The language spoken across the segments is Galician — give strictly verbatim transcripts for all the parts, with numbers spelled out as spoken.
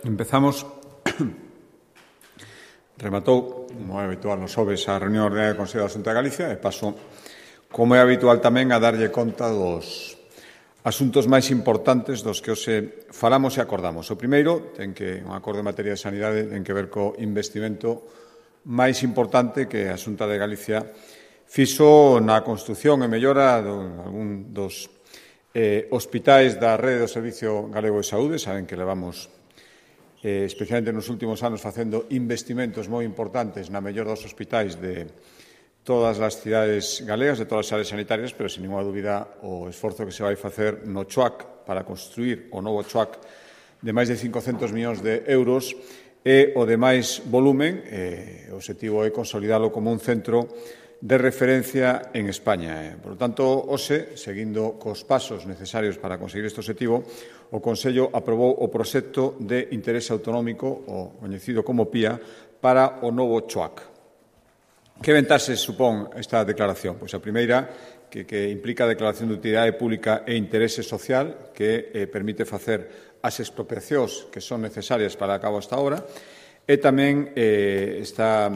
Empezamos. Rematou, como é habitual nos xoves, a reunión ordenaria do Consello da Xunta de Galicia e paso, como é habitual tamén, a darlle conta dos asuntos máis importantes dos que hoxe falamos e acordamos. O primeiro, ten que un acordo en materia de sanidade, ten que ver co investimento máis importante que a Xunta de Galicia fixo na construción e mellora de algún dos eh, hospitais da rede do Servicio Galego de Saúde. Saben que levamos Eh, especialmente nos últimos anos facendo investimentos moi importantes na mellor dos hospitais de todas as cidades galegas, de todas as áreas sanitarias, pero, sin ninguna dúbida, o esforzo que se vai facer no C H U A C para construir o novo C H U A C de máis de cincocentos millóns de euros e o de máis volumen. Eh, o objetivo é consolidalo como un centro de referencia en España. Por lo tanto, hoxe, seguindo cos pasos necesarios para conseguir este objetivo, o Consello aprobou o proxecto de interese autonómico, o coñecido como P I A, para o novo C H U A C. Que ventaxes supón esta declaración? Pois a primeira, que, que implica a declaración de utilidade pública e interese social, que eh, permite facer as expropiacións que son necesarias para a cabo esta obra, e tamén eh, esta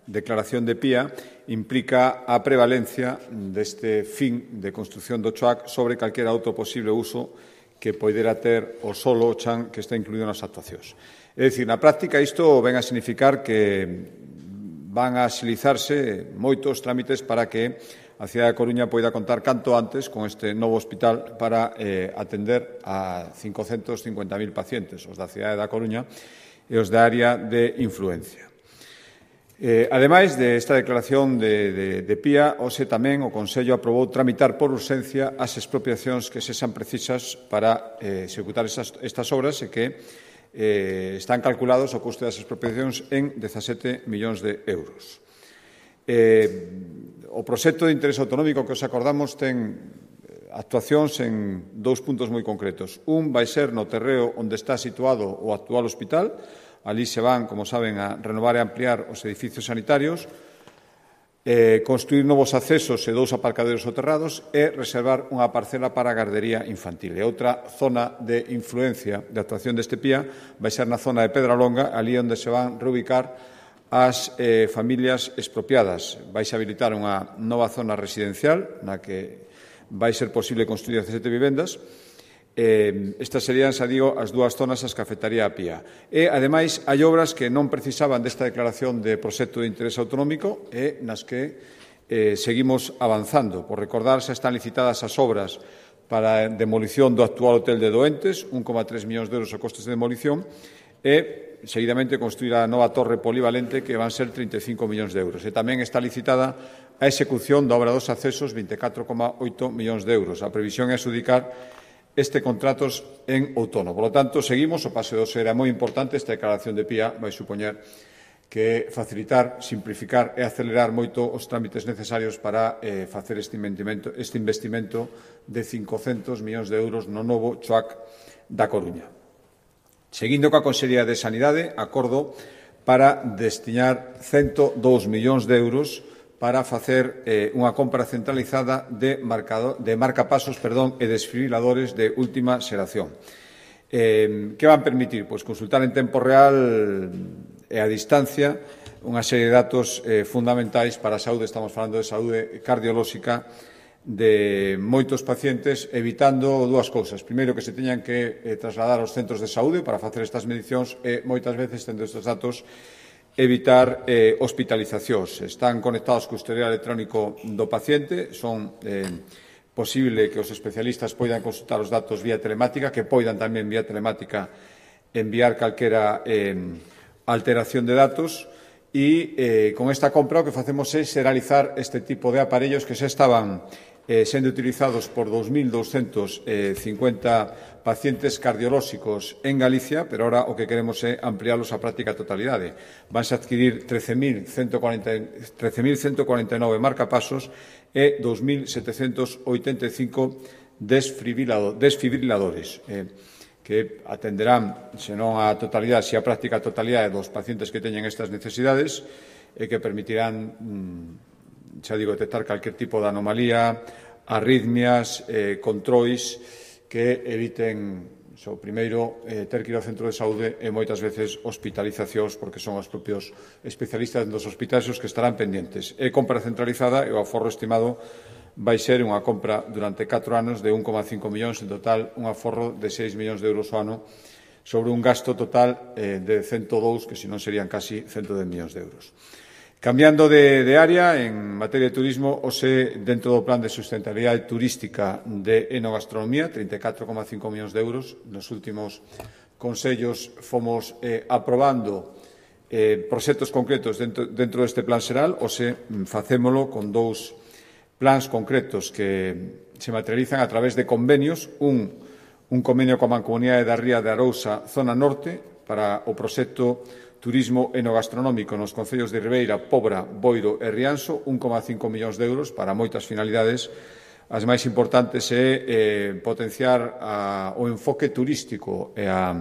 declaración de P I A implica a prevalencia deste fin de construción do C H U A C sobre calquera outro posible uso que poidera ter o solo o chan que está incluído nas actuacións. É dicir, na práctica, isto ven a significar que van a axilizarse moitos trámites para que a cidade da Coruña poida contar canto antes con este novo hospital para eh, atender a cincocentos cincuenta mil pacientes, os da cidade da Coruña e os da área de influencia. Eh, ademais desta declaración de, de, de P I A, hoxe tamén o Consello aprobou tramitar por urxencia as expropiacións que sexan precisas para eh, executar esas, estas obras e que eh, están calculados o custe das expropiacións en dezasete millóns de euros. Eh, o proxecto de interese autonómico que os acordamos ten actuacións en dous puntos moi concretos. Un vai ser no terreo onde está situado o actual hospital. Alí se van, como saben, a renovar e ampliar os edificios sanitarios, eh, construir novos accesos e dous aparcaderos soterrados e reservar unha parcela para a gardería infantil. E outra zona de influencia de actuación deste P I A vai ser na zona de Pedralonga, ali onde se van reubicar as eh, familias expropiadas. Vai se habilitar unha nova zona residencial na que vai ser posible construir dezasete vivendas. Eh, estas serían, xa digo, as dúas zonas as que afectaría a P I A. E, ademais, hai obras que non precisaban desta declaración de proxecto de interese autonómico e nas que eh, seguimos avanzando. Por recordar, xa están licitadas as obras para a demolición do actual hotel de doentes, un coma tres millóns de euros a costes de demolición, e, seguidamente, construir a nova torre polivalente, que van ser trinta e cinco millóns de euros. E tamén está licitada a execución da obra dos accesos, vinte e catro coma oito millóns de euros. A previsión é adxudicar este contratos en outono. Por lo tanto, seguimos, o paso de hoxe era moi importante, esta declaración de P I A vai supoñer que facilitar, simplificar e acelerar moito os trámites necesarios para eh, facer este investimento, este investimento de cincocentos millóns de euros no novo C H U A C da Coruña. Seguindo coa Consellería de Sanidade, acordo para destinar cento dous millóns de euros para facer eh, unha compra centralizada de, marcador, de marcapasos perdón, e desfibriladores de última xeración. Eh, que van permitir? Pois consultar en tempo real e a distancia unha serie de datos eh, fundamentais para a saúde. Estamos falando de saúde cardiolóxica de moitos pacientes, evitando dúas cousas. Primeiro, que se teñan que eh, trasladar aos centros de saúde para facer estas medicións e, moitas veces, tendo estes datos, evitar eh, hospitalizacións. Están conectados co historial electrónico do paciente, son eh, posible que os especialistas poidan consultar os datos vía telemática, que poidan tamén vía telemática enviar calquera eh, alteración de datos e eh, con esta compra o que facemos é xeralizar este tipo de aparellos que xa estaban eh, sendo utilizados por dous mil douscentos cincuenta pacientes cardiolóxicos en Galicia, pero ahora o que queremos é ampliálos á práctica totalidade. Vanse a adquirir trece mil ciento cuarenta e nove marcapasos e dous mil setecentos oitenta e cinco desfibriladores, eh, que atenderán, senón a totalidade, se a práctica totalidade dos pacientes que teñen estas necesidades e que permitirán, xa digo, detectar calquer tipo de anomalía, arritmias, eh, controis que eviten So, primeiro, eh, ter que ir ao centro de saúde e moitas veces hospitalizacións porque son os propios especialistas dos hospitais os que estarán pendentes. É compra centralizada e o aforro estimado vai ser unha compra durante catro anos de un coma cinco millóns, en total un aforro de seis millóns de euros ao ano sobre un gasto total eh, de cento dous, que senón serían casi cento dez millóns de euros. Cambiando de, de área, en materia de turismo, ose dentro do plan de sustentabilidade turística de enogastronomía, trinta e catro coma cinco millóns de euros. Nos últimos consellos fomos eh, aprobando eh, proxectos concretos dentro, dentro deste plan xeral, ose facémolo con dous plans concretos que se materializan a través de convenios, un, un convenio coa Mancomunidade da Ría de Arousa, zona norte, para o proxecto Turismo enogastronómico nos concellos de Ribeira, Pobra, Boiro e Rianxo, un coma cinco millóns de euros para moitas finalidades. As máis importantes é eh, potenciar a, o enfoque turístico e a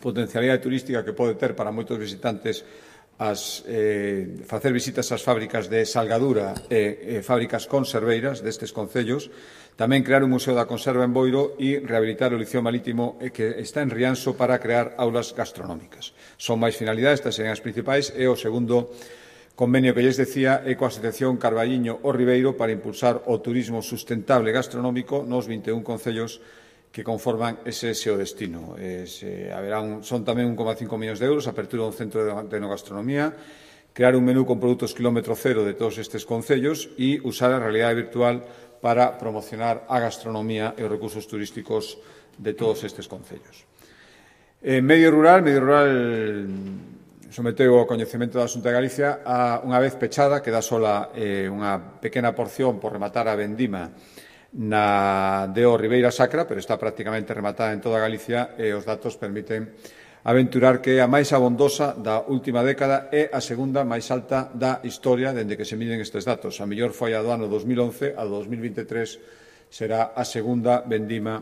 potencialidade turística que pode ter para moitos visitantes as, eh, facer visitas ás fábricas de salgadura e, e fábricas conserveiras destes concellos. Tamén crear un museo da conserva en Boiro e rehabilitar o liceo marítimo que está en Rianxo para crear aulas gastronómicas. Son máis finalidades, estas serían as principais, e o segundo convenio que lles decía é coa Asociación Carballiño o Ribeiro para impulsar o turismo sustentable gastronómico nos vinte e un concellos que conforman ese xeo destino. Es, eh, haberá un, son tamén un coma cinco millóns de euros, apertura dun centro de, de enogastronomía, crear un menú con produtos kilómetro cero de todos estes concellos e usar a realidade virtual para promocionar a gastronomía e os recursos turísticos de todos estes concellos. En medio rural, medio rural someteu ao coñecemento da Xunta de Galicia a unha vez pechada, queda sola eh, unha pequena porción por rematar a vendima na de o Ribeira Sacra, pero está prácticamente rematada en toda Galicia e os datos permiten aventurar que é a máis abondosa da última década e a segunda máis alta da historia dende que se miden estes datos. A mellor foi a do ano dos mil once, a do dos mil vinte e tres será a segunda vendima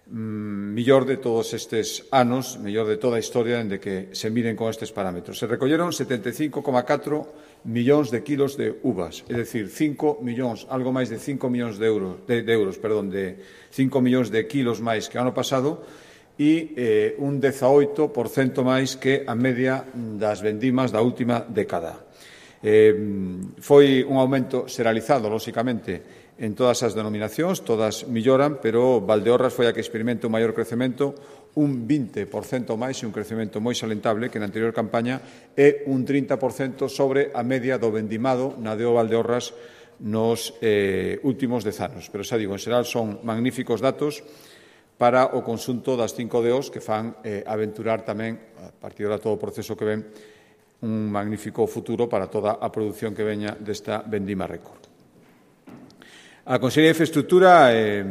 mmm, mellor de todos estes anos, mellor de toda a historia dende que se miden con estes parámetros. Se recolleron setenta e cinco coma catro millóns de kilos de uvas, é dicir, cinco millóns, algo máis de cinco millóns de euros, de, de euros, perdón, de cinco millóns de kilos máis que o ano pasado, e eh, un dezaoito por cento máis que a media das vendimas da última década. Eh, foi un aumento xeralizado, lóxicamente, en todas as denominacións, todas melloran, pero Valdeorras foi a que experimenta un maior crecemento, un vinte por cento máis e un crecemento moi salentable que na anterior campaña e un trinta por cento sobre a media do vendimado na deo Valdeorras nos eh, últimos dez anos. Pero xa digo, en xeral son magníficos datos para o conxunto das cinco deos que fan eh, aventurar tamén, a partir de todo o proceso que ven, un magnífico futuro para toda a produción que veña desta vendima récord. A Consellería de Infraestructura eh,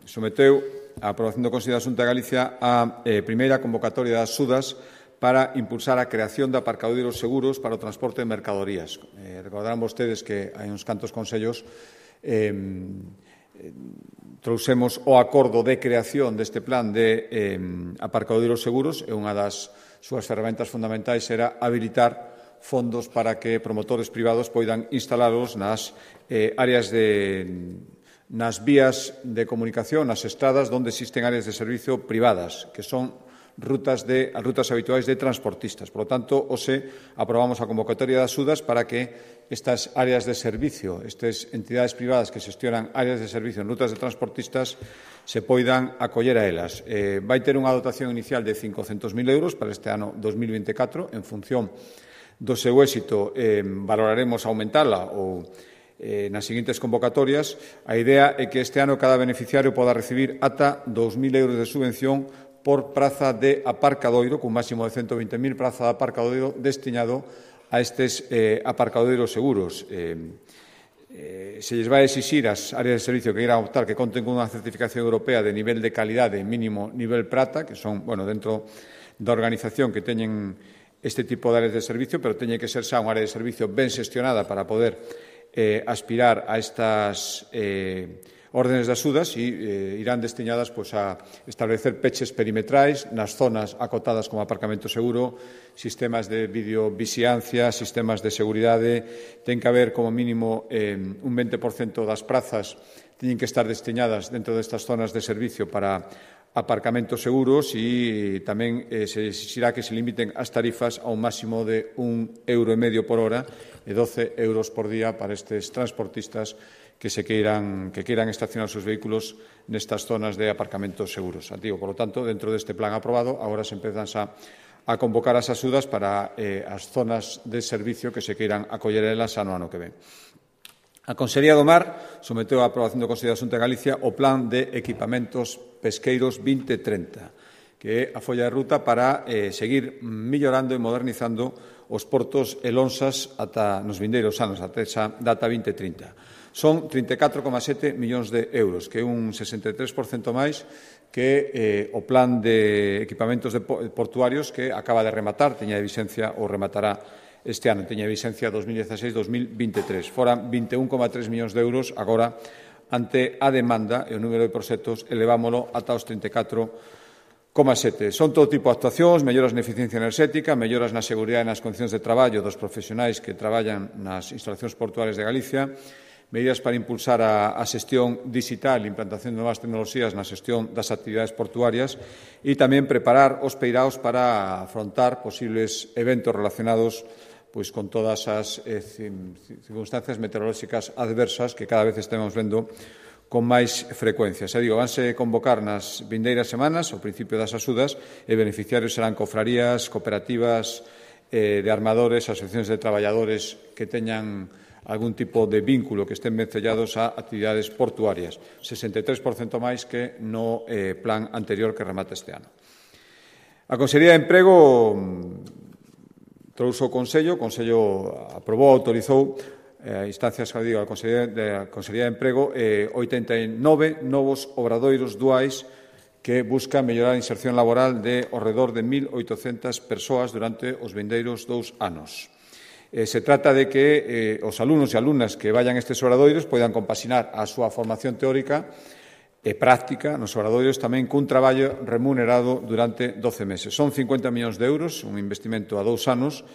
someteu a aprobación do Consello da Xunta de Galicia a eh, primeira convocatoria das Sudas para impulsar a creación de aparcadoiros seguros para o transporte de mercadorías. Eh, recordarán vostedes que hai uns cantos consellos eh, trouxemos o acordo de creación deste plan de eh, aparcadoiros seguros e unha das súas ferramentas fundamentais era habilitar fondos para que promotores privados poidan instalalos nas eh, áreas de nas vías de comunicación, nas estradas onde existen áreas de servicio privadas, que son rutas, de, rutas habituais de transportistas. Por lo tanto, hoxe aprobamos a convocatoria das Sudas para que estas áreas de servicio, estas entidades privadas que xestionan áreas de servicio en rutas de transportistas, se poidan acoller a elas. Eh, vai ter unha dotación inicial de cincocentos mil euros para este ano dos mil vinte e catro. En función do seu éxito, eh, valoraremos aumentala ou eh, nas seguintes convocatorias. A idea é que este ano cada beneficiario poda recibir ata dos mil euros de subvención por praza de aparcadoiro, cun máximo de ciento veinte mil praza de aparcadoiro destinado a estes eh, aparcadoiros seguros. Eh, eh, se lles vai exixir ás áreas de servicio que irán optar que conten con unha certificación europea de nivel de calidade mínimo nivel prata, que son, bueno, dentro da organización que teñen este tipo de áreas de servicio, pero teñe que ser xa unha área de servicio ben xestionada para poder eh, aspirar a estas eh, órdenes de axudas e eh, irán destinadas pois, a establecer peches perimetrais nas zonas acotadas como aparcamento seguro, sistemas de videovixiancia, sistemas de seguridade. Ten que haber como mínimo eh, un vinte por cento das prazas teñen que estar destinadas dentro destas zonas de servicio para aparcamentos seguros e tamén eh, se exixirá que se limiten as tarifas a un máximo de un euro e medio por hora e doce euros por día para estes transportistas que se queiran, que queiran estacionar os seus vehículos nestas zonas de aparcamentos seguros. Digo, por lo tanto, dentro deste plan aprobado, agora se empezan a, a convocar as axudas para eh, as zonas de servicio que se queiran acoller elas ano ano que ven. A Consellería do Mar someteu a aprobación do Consello da Xunta de Galicia o Plan de Equipamentos Pesqueiros vinte trinta, que é a folla de ruta para eh, seguir millorando e modernizando os portos e lonxas ata nos vindeiros anos, ata esa data vinte trinta. Son trinta e catro coma sete millóns de euros, que é un sesenta e tres por cento máis que eh, o Plan de Equipamentos de Portuarios que acaba de rematar, teña de vixencia ou rematará este ano, teña vixencia dos mil dieciséis dos mil veintitrés. Foran vinte e un coma tres millóns de euros, agora, ante a demanda e o número de proxectos, elevámolo ata os trinta e catro coma sete. Son todo tipo de actuacións, melloras na eficiencia enerxética, melloras na seguridade e nas condicións de traballo dos profesionais que traballan nas instalacións portuarias de Galicia, medidas para impulsar a, a xestión digital e implantación de novas tecnoloxías na xestión das actividades portuarias e tamén preparar os peiraos para afrontar posibles eventos relacionados pois con todas as eh, circunstancias meteorolóxicas adversas que cada vez estemos vendo con máis frecuencia. Se digo, vanse convocar nas vindeiras semanas o principio das axudas e beneficiarios serán cofrarías, cooperativas eh, de armadores, asociacións de traballadores que teñan algún tipo de vínculo que estén vencellados a actividades portuarias, sesenta e tres por cento máis que no eh, plan anterior que remata este ano. A Consellería de Emprego trouxe o Consello, o Consello aprobou, autorizou a eh, instancias, digo, a Consellería de, Consellería de Emprego eh, oitenta e nove novos obradoiros duais que buscan mellorar a inserción laboral de ao redor de mil oitocentas persoas durante os vindeiros dous anos. Eh, se trata de que eh, os alumnos e alumnas que vayan a estes obradoiros poidan compaxinar a súa formación teórica e práctica nos obradoiros tamén cun traballo remunerado durante doce meses. Son cincuenta millóns de euros, un investimento a dous anos,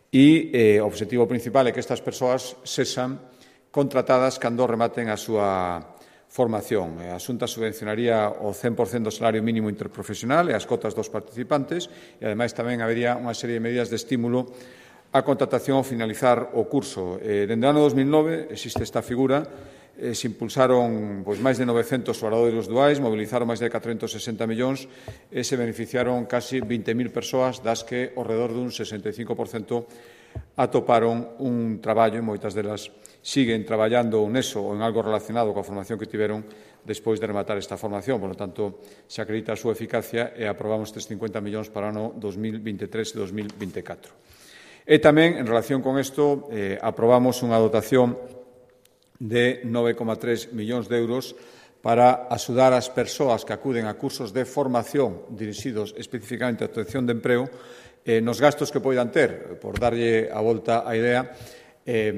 e eh, o objetivo principal é que estas persoas sexan contratadas cando rematen a súa formación. A Xunta subvencionaría o cen por cento do salario mínimo interprofesional e as cotas dos participantes e, ademais, tamén habería unha serie de medidas de estímulo a contratación ao finalizar o curso. Eh, dende o ano dos mil nove existe esta figura. Eh, se impulsaron pois, máis de novecentos obradoiros duais, mobilizaron máis de catrocentos sesenta millóns e se beneficiaron casi vinte mil persoas, das que ao redor dun sesenta e cinco por cento atoparon un traballo e moitas delas siguen traballando neso ou en algo relacionado coa formación que tiveron despois de rematar esta formación. Por lo tanto, se acredita a súa eficacia e aprobamos estes cincuenta millóns para o ano dos mil veintitrés e dos mil veinticatro. E tamén, en relación con isto, eh, aprobamos unha dotación de nove coma tres millóns de euros para axudar as persoas que acuden a cursos de formación dirixidos especificamente á obtención de emprego eh, nos gastos que poidan ter, por darlle a volta á idea, eh,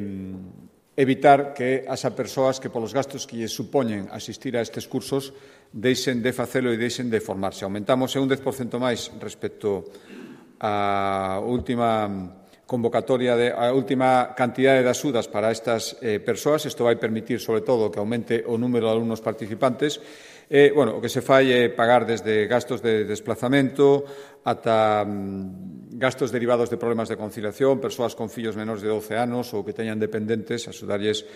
evitar que as persoas que polos gastos que lles supoñen asistir a estes cursos deixen de facelo e deixen de formarse. Aumentamos un dez por cento máis respecto á última convocatoria de a última cantidade de axudas para estas eh, persoas. Isto vai permitir, sobre todo, que aumente o número de alumnos participantes. Eh, bueno, o que se fai é pagar desde gastos de desplazamento ata mm, gastos derivados de problemas de conciliación, persoas con fillos menores de doce anos ou que teñan dependentes, axudarlles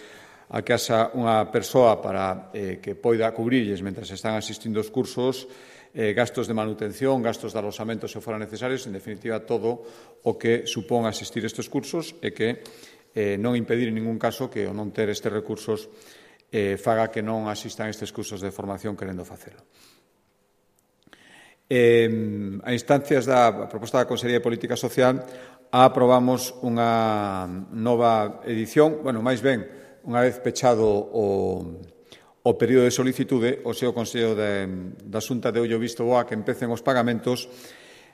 a que haxa unha persoa para eh, que poida cubrirlles mentre están asistindo aos cursos, Eh, gastos de manutención, gastos de alosamento se foran necesarios, en definitiva, todo o que supón asistir a estes cursos e que eh, non impedir en ningún caso que o non ter estes recursos eh, faga que non asistan a estes cursos de formación querendo facelo. Eh, a instancias da proposta da Consellería de Política Social aprobamos unha nova edición, bueno, máis ben, unha vez pechado o o período de solicitude, o seu Consello de, da Xunta de ollo visto boa que empecen os pagamentos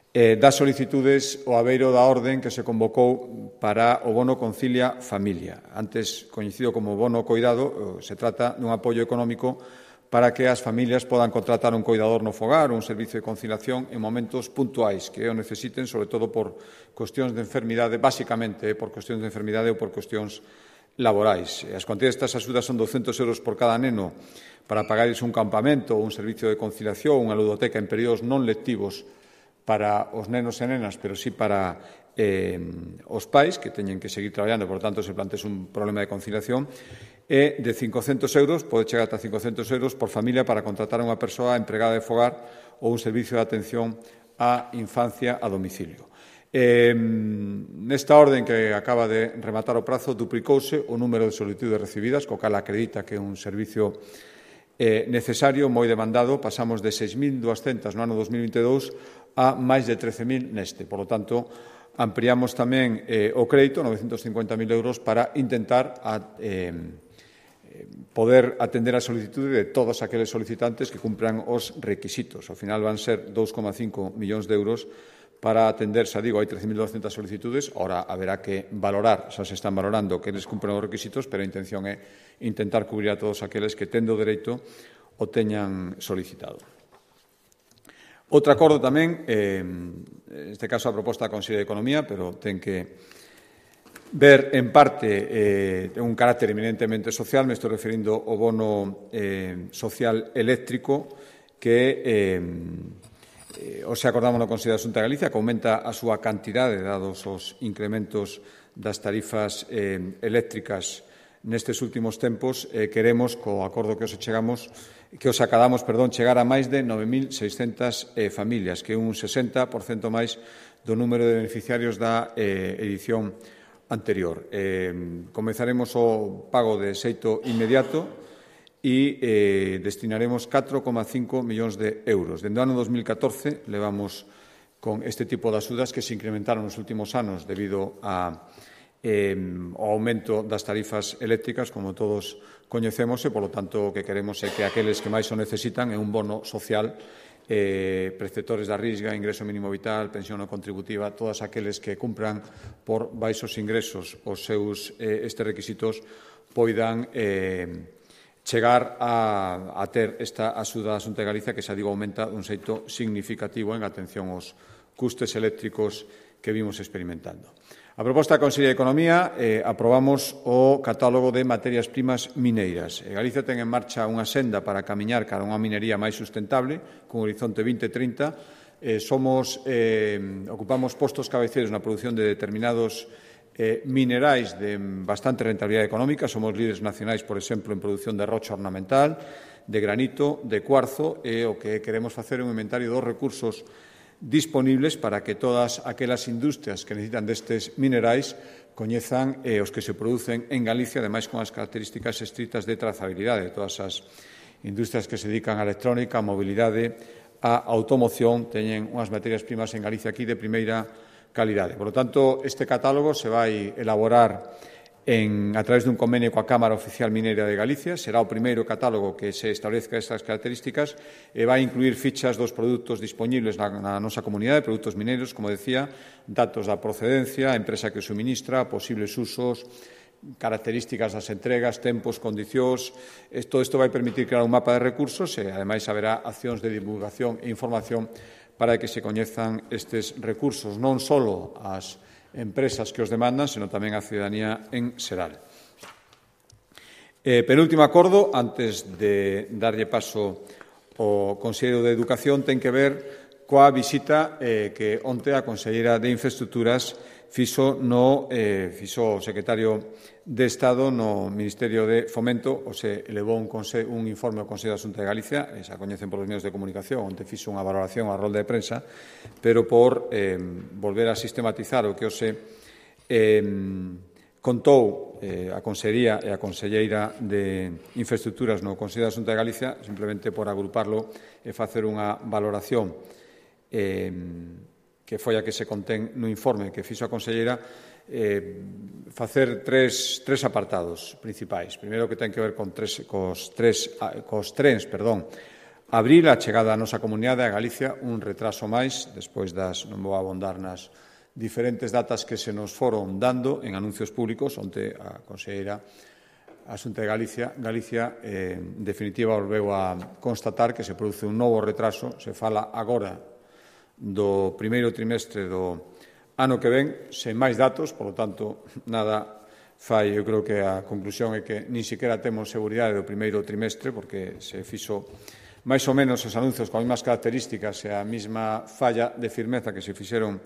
eh, das solicitudes o abeiro da orden que se convocou para o bono Concilia Familia. Antes coñecido como bono coidado, se trata dun apoio económico para que as familias podan contratar un coidador no fogar ou un servicio de conciliación en momentos puntuais que o necesiten, sobre todo por cuestións de enfermidade, basicamente por cuestións de enfermidade ou por cuestións laborais. As cuantías destas axudas son douscentos euros por cada neno para pagarles un campamento ou un servicio de conciliación, unha ludoteca en períodos non lectivos para os nenos e nenas, pero sí para eh, os pais que teñen que seguir traballando, por tanto, se plantees un problema de conciliación, e de cincocentos euros, pode chegar ata cincocentos euros por familia para contratar a unha persoa empregada de fogar ou un servicio de atención á infancia a domicilio. Eh, nesta orden que acaba de rematar o prazo, duplicouse o número de solicitudes recibidas, co cal acredita que é un servicio eh, necesario, moi demandado. Pasamos de seis mil duascentas no ano dos mil vinte e dous a máis de trece mil neste. Por lo tanto, ampliamos tamén eh, o crédito, novecentos cincuenta mil euros, para intentar a, eh, poder atender a solicitude de todos aqueles solicitantes que cumpran os requisitos. Ao final van ser dous coma cinco millóns de euros para atender, xa digo, hai trece mil duascentas solicitudes, ora haberá que valorar, xa se están valorando que eles cumpren os requisitos, pero a intención é intentar cubrir a todos aqueles que, tendo dereito, o teñan solicitado. Outro acordo tamén, eh, neste caso a proposta da Consellería de Economía, pero ten que ver en parte eh, un carácter eminentemente social, me estou referindo ao bono eh, social eléctrico que eh, Eh, o se acordamos no Consello da Xunta de Galicia, que aumenta a súa cantidade dados os incrementos das tarifas eh, eléctricas nestes últimos tempos. Eh, queremos, co acordo que os chegamos, que os acadamos, perdón, chegar a máis de nove mil seiscentas eh, familias, que é un sesenta por cento máis do número de beneficiarios da eh, edición anterior. Eh, comezaremos o pago de xeito inmediato e eh, destinaremos catro coma cinco millóns de euros. Dende o ano dos mil catorce levamos con este tipo de axudas que se incrementaron nos últimos anos debido a, eh, ao aumento das tarifas eléctricas, como todos coñecemos, e, polo tanto, o que queremos é que aqueles que máis o necesitan é un bono social, eh, preceptores da Risga, ingreso mínimo vital, pensión non contributiva, todas aqueles que cumpran por baixos ingresos os seus eh, estes requisitos poidan eh, chegar a, a ter esta axuda da Xunta de Galicia que, xa digo, aumenta un xeito significativo en atención aos custes eléctricos que vimos experimentando. A proposta da Consellería de Economía, eh, aprobamos o catálogo de materias primas mineiras. E Galicia ten en marcha unha senda para camiñar cara a unha minería máis sustentable, con horizonte vinte trinta. Eh, somos, eh, ocupamos postos cabeceiros na produción de determinados Eh, minerais de bastante rentabilidade económica. Somos líderes nacionais, por exemplo, en produción de rocha ornamental, de granito, de cuarzo, e o que queremos facer é un inventario dos recursos disponibles para que todas aquelas industrias que necesitan destes minerais coñezan eh, os que se producen en Galicia, ademais con as características estritas de trazabilidade de todas as industrias que se dedican á electrónica, á mobilidade, á automoción, teñen unhas materias primas en Galicia aquí de primeira calidade. Por lo tanto, este catálogo se vai elaborar en, a través dun convenio coa Cámara Oficial Mineira de Galicia. Será o primeiro catálogo que se establezca estas características e vai incluir fichas dos produtos disponibles na, na nosa comunidade, produtos mineiros, como decía, datos da procedencia, a empresa que o suministra, posibles usos, características das entregas, tempos, condicións. Todo isto vai permitir crear un mapa de recursos e, ademais, haberá accións de divulgación e información para que se coñezan estes recursos, non só as empresas que os demandan, senón tamén a ciudadanía en xeral. Eh, penúltimo acordo, antes de darlle paso ao Conselleiro de Educación, ten que ver coa visita eh, que onte a Conselleira de Infraestructuras fixo no eh, fixo o secretario de Estado no Ministerio de Fomento, o se elevou un, conse, un informe ao Consello da Xunta de Galicia, e xa coñecen polos medios de comunicación, onde fixo unha valoración á rolda de prensa, pero por eh, volver a sistematizar o que o se eh, contou eh, a Consellería e a Conselleira de Infraestructuras no Consello da Xunta de Galicia, simplemente por agruparlo e facer unha valoración eh, que foi a que se contén no informe que fixo a Conselleira, eh, facer tres, tres apartados principais. Primeiro, que ten que ver con tres, cos, tres, cos trens, perdón, abrir a chegada á nosa comunidade a Galicia un retraso máis, despois das, non vou abondar nas diferentes datas que se nos foron dando en anuncios públicos, onde a Conselleira a Xunta de Galicia, Galicia eh, en definitiva, volveu a constatar que se produce un novo retraso. Se fala agora do primeiro trimestre do ano que ven, sen máis datos, polo tanto, nada fai, eu creo que a conclusión é que nin sequera temos seguridade do primeiro trimestre, porque se fixo máis ou menos os anuncios con as mesmas características e a mesma falla de firmeza que se fixeron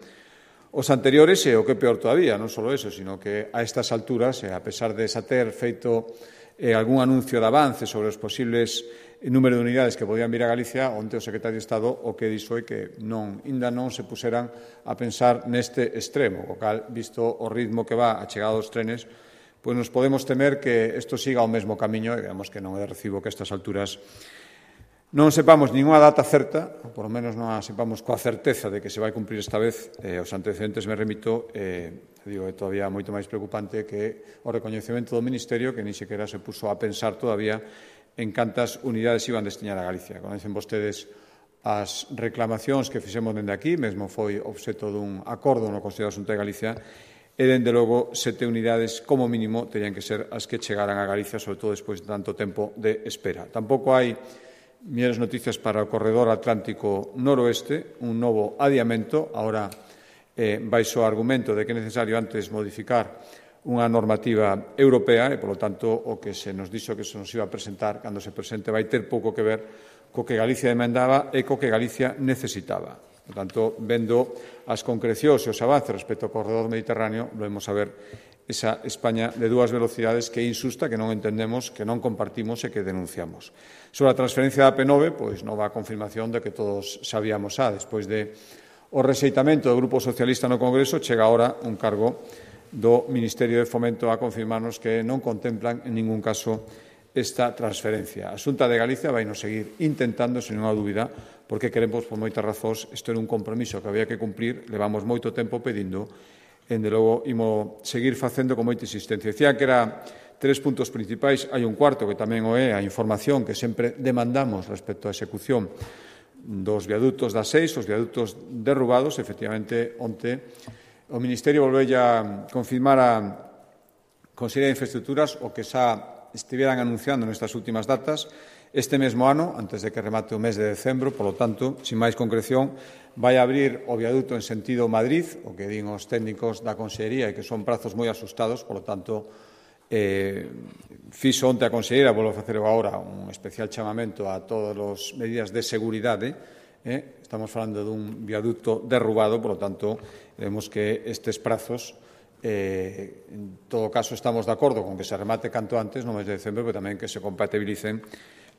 os anteriores, e o que é peor todavía, non só eso, sino que a estas alturas, e a pesar de xa ter feito eh, algún anuncio de avance sobre os posibles número de unidades que podían vir a Galicia, onte o secretario de Estado o que dixo é que non, ainda non se puseran a pensar neste extremo, o cal, visto o ritmo que va a chegada dos trenes, pois nos podemos temer que isto siga o mesmo camiño e digamos que non é de recibo que a estas alturas non sepamos ninguna data certa, ou polo menos non a sepamos coa certeza de que se vai cumprir esta vez. Eh, os antecedentes me remito, eh, digo, é todavía moito máis preocupante que o recoñecemento do Ministerio, que nin sequera se puso a pensar todavía en cantas unidades iban destinar a Galicia. Conocen vostedes as reclamacións que fixemos dende aquí, mesmo foi obxeto dun acordo no Consello de Asunto de Galicia, e, dende logo, sete unidades, como mínimo, terían que ser as que chegaran a Galicia, sobre todo despois de tanto tempo de espera. Tampouco hai mellores noticias para o corredor atlántico noroeste, un novo adiamento, agora eh, baixo o argumento de que é necesario antes modificar unha normativa europea e, polo tanto, o que se nos dixo que se nos iba a presentar, cando se presente, vai ter pouco que ver co que Galicia demandaba e co que Galicia necesitaba. Por tanto, vendo as concrecións e os avances respecto ao corredor mediterráneo, volvemos a ver esa España de dúas velocidades que é insusta, que non entendemos, que non compartimos e que denunciamos. Sobre a transferencia da P nove, pois nova confirmación de que todos sabíamos xa. Despois de o rexeitamento do Grupo Socialista no Congreso, chega agora un cargo do Ministerio de Fomento a confirmarnos que non contemplan en ningún caso esta transferencia. A Xunta de Galicia vai nos seguir intentando, sen unha dúbida, porque queremos, por moitas razóns, isto era un compromiso que había que cumprir, levamos moito tempo pedindo, e, de logo, imos seguir facendo con moita insistencia. Decía que era tres puntos principais, hai un cuarto que tamén o é a información que sempre demandamos respecto á execución dos viadutos das seis, os viadutos derrubados. Efectivamente, onte o Ministerio volveu a confirmar a Consellería de Infraestructuras o que xa estiveran anunciando nestas últimas datas. Este mesmo ano, antes de que remate o mes de decembro, polo tanto, sin máis concreción, vai abrir o viaduto en sentido Madrid, o que din os técnicos da Consellería, e que son prazos moi asustados, polo tanto, eh, fixo onte a Conselleira, volvo a facer agora un especial chamamento a todas as medidas de seguridade. Eh? Estamos falando dun viaduto derrubado, polo tanto, vemos que estes prazos, eh, en todo caso, estamos de acordo con que se remate canto antes, no mes de decembro, pero tamén que se compatibilicen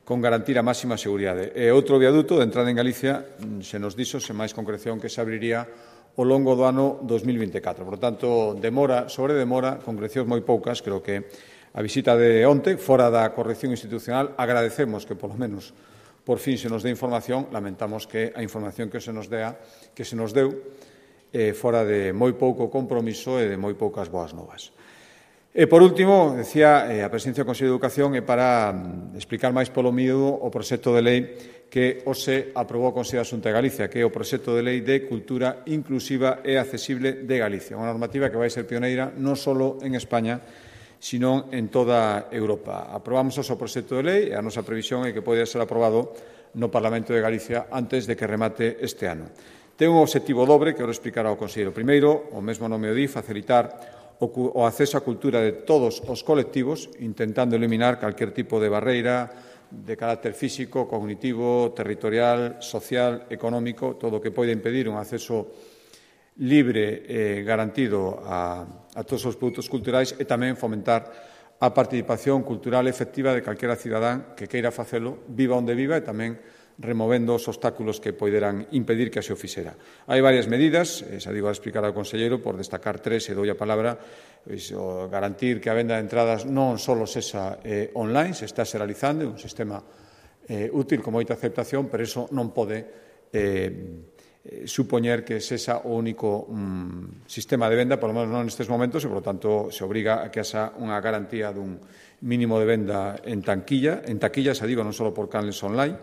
con garantir a máxima seguridade. E outro viaduto de entrada en Galicia, se nos dixo, sen máis concreción, que se abriría ao longo do ano dos mil vinte e catro. Por tanto, demora sobre demora, concrecións moi poucas. Creo que a visita de onte, fora da corrección institucional, agradecemos que, polo menos, por fin se nos dé información. Lamentamos que a información que se nos dea, que se nos deu, eh, fora de moi pouco compromiso e de moi poucas boas novas. E, por último, decía, eh, a presencia do Consello de Educación é para mm, explicar máis polo miúdo o proxecto de lei que hoxe aprobou o Consello de Asunto de Galicia, que é o proxecto de lei de cultura inclusiva e accesible de Galicia, unha normativa que vai ser pioneira non só en España, sino en toda Europa. Aprobamos o proxecto de lei e a nosa previsión é que pode ser aprobado no Parlamento de Galicia antes de que remate este ano. Ten un obxectivo dobre que eu explicará ao Conselleiro. Primeiro, o mesmo nome o di, facilitar o acceso á cultura de todos os colectivos, intentando eliminar calquer tipo de barreira de carácter físico, cognitivo, territorial, social, económico, todo o que pode impedir un acceso libre e garantido a, a todos os produtos culturais, e tamén fomentar a participación cultural efectiva de calquera cidadán que queira facelo, viva onde viva, e tamén removendo os obstáculos que poderan impedir que así o fixera. Hai varias medidas, xa digo a explicar ao conselleiro, por destacar tres, e dou a palabra, pois, o garantir que a venda de entradas non só sexa eh, online, se está se realizando, un sistema eh, útil con moita aceptación, pero iso non pode eh, supoñer que sexa o único mm, sistema de venda, por lo menos non nestes momentos, e, por lo tanto, se obriga a que haxa unha garantía dun mínimo de venda en tanquilla, en taquilla, xa digo, non só por canles online,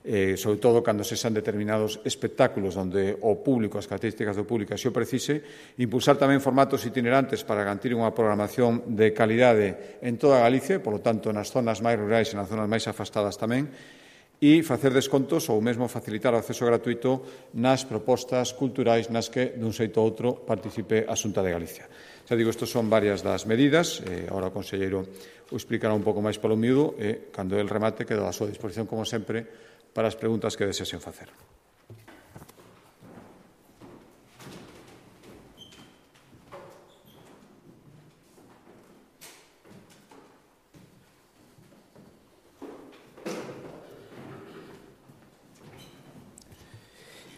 Eh, sobre todo cando se sean determinados espectáculos onde o público, as características do público así o precise, impulsar tamén formatos itinerantes para garantir unha programación de calidade en toda Galicia, e, polo tanto, nas zonas máis rurais e nas zonas máis afastadas tamén, e facer descontos ou mesmo facilitar o acceso gratuito nas propostas culturais nas que, dun xeito ou outro, participe a Xunta de Galicia. Xa digo, estas son varias das medidas, eh, agora o conselleiro o explicará un pouco máis polo miúdo e, cando el remate, queda a súa disposición, como sempre, para as preguntas que desexen facer.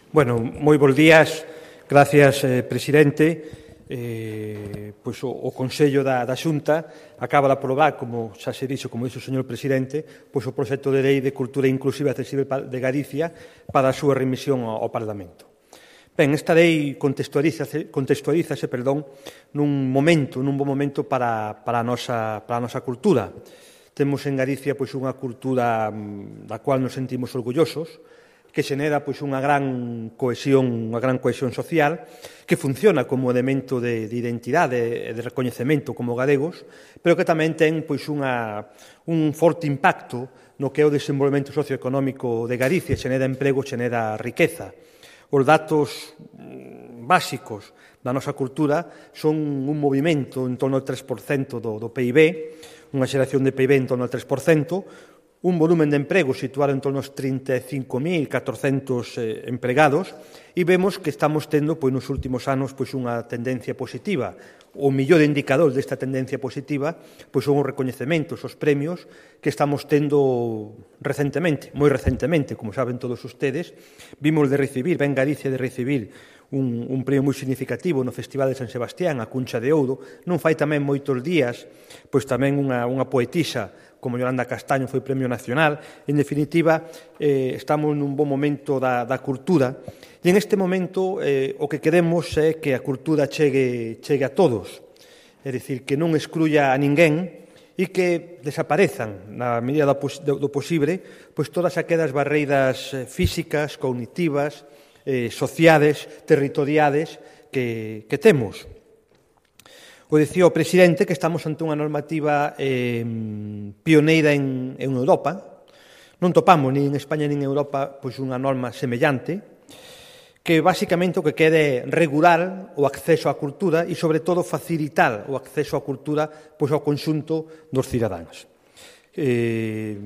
Bueno, moi bons días. Gracias, eh, presidente. Eh, pois o, o Consello da, da Xunta acaba de aprobar, como xa se dixo, como dixo o señor presidente, pois o proxecto de lei de Cultura Inclusiva e Accesible de Galicia para a súa remisión ao, ao Parlamento. Ben, esta lei contextualízase, contextualízase perdón, nun momento, nun bom momento para, para, a nosa, para a nosa cultura. Temos en Galicia pois unha cultura da cual nos sentimos orgullosos, que xenera pois unha gran cohesión, unha gran cohesión social, que funciona como elemento de, de identidade e de recoñecemento como galegos, pero que tamén ten pois unha, un forte impacto no que é o desenvolvemento socioeconómico de Galicia, xenera emprego, xenera riqueza. Os datos básicos da nosa cultura son un movimento en torno ao tres por cento do, do P I B, unha xeración de P I B en torno ao tres por cento, un volumen de emprego situado en torno aos trinta e cinco mil catrocentos eh, empregados e vemos que estamos tendo pois, nos últimos anos pois, unha tendencia positiva. O millor indicador desta tendencia positiva pois, son os recoñecementos, os premios que estamos tendo recentemente, moi recentemente, como saben todos ustedes. Vimos de recibir, ben Galicia de recibir un, un premio moi significativo no Festival de San Sebastián, a Cuncha de Ouro. Non fai tamén moitos días, pois tamén unha, unha poetisa como Yolanda Castaño foi Premio Nacional. En definitiva, eh, estamos nun bon momento da, da cultura e en este momento eh, o que queremos é que a cultura chegue, chegue a todos, é dicir, que non excluya a ninguén e que desaparezan, na medida do, do posible, pois todas aquelas barreiras físicas, cognitivas, eh, sociales, territoriales que, que temos. O dicía o presidente que estamos ante unha normativa eh, pioneira en, en Europa. Non topamos nin en España nin en Europa pois unha norma semellante que basicamente o que quere regular o acceso á cultura e, sobre todo, facilitar o acceso á cultura pois, ao conxunto dos cidadáns. Eh,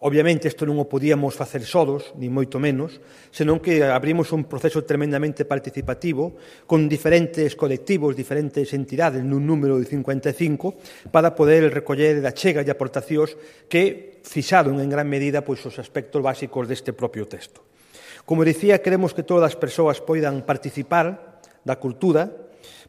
obviamente, isto non o podíamos facer solos, ni moito menos, senón que abrimos un proceso tremendamente participativo con diferentes colectivos, diferentes entidades, nun número de cincuenta e cinco, para poder recoller a chega e aportacións que fixaron en gran medida pois, os aspectos básicos deste propio texto. Como dicía, queremos que todas as persoas poidan participar da cultura,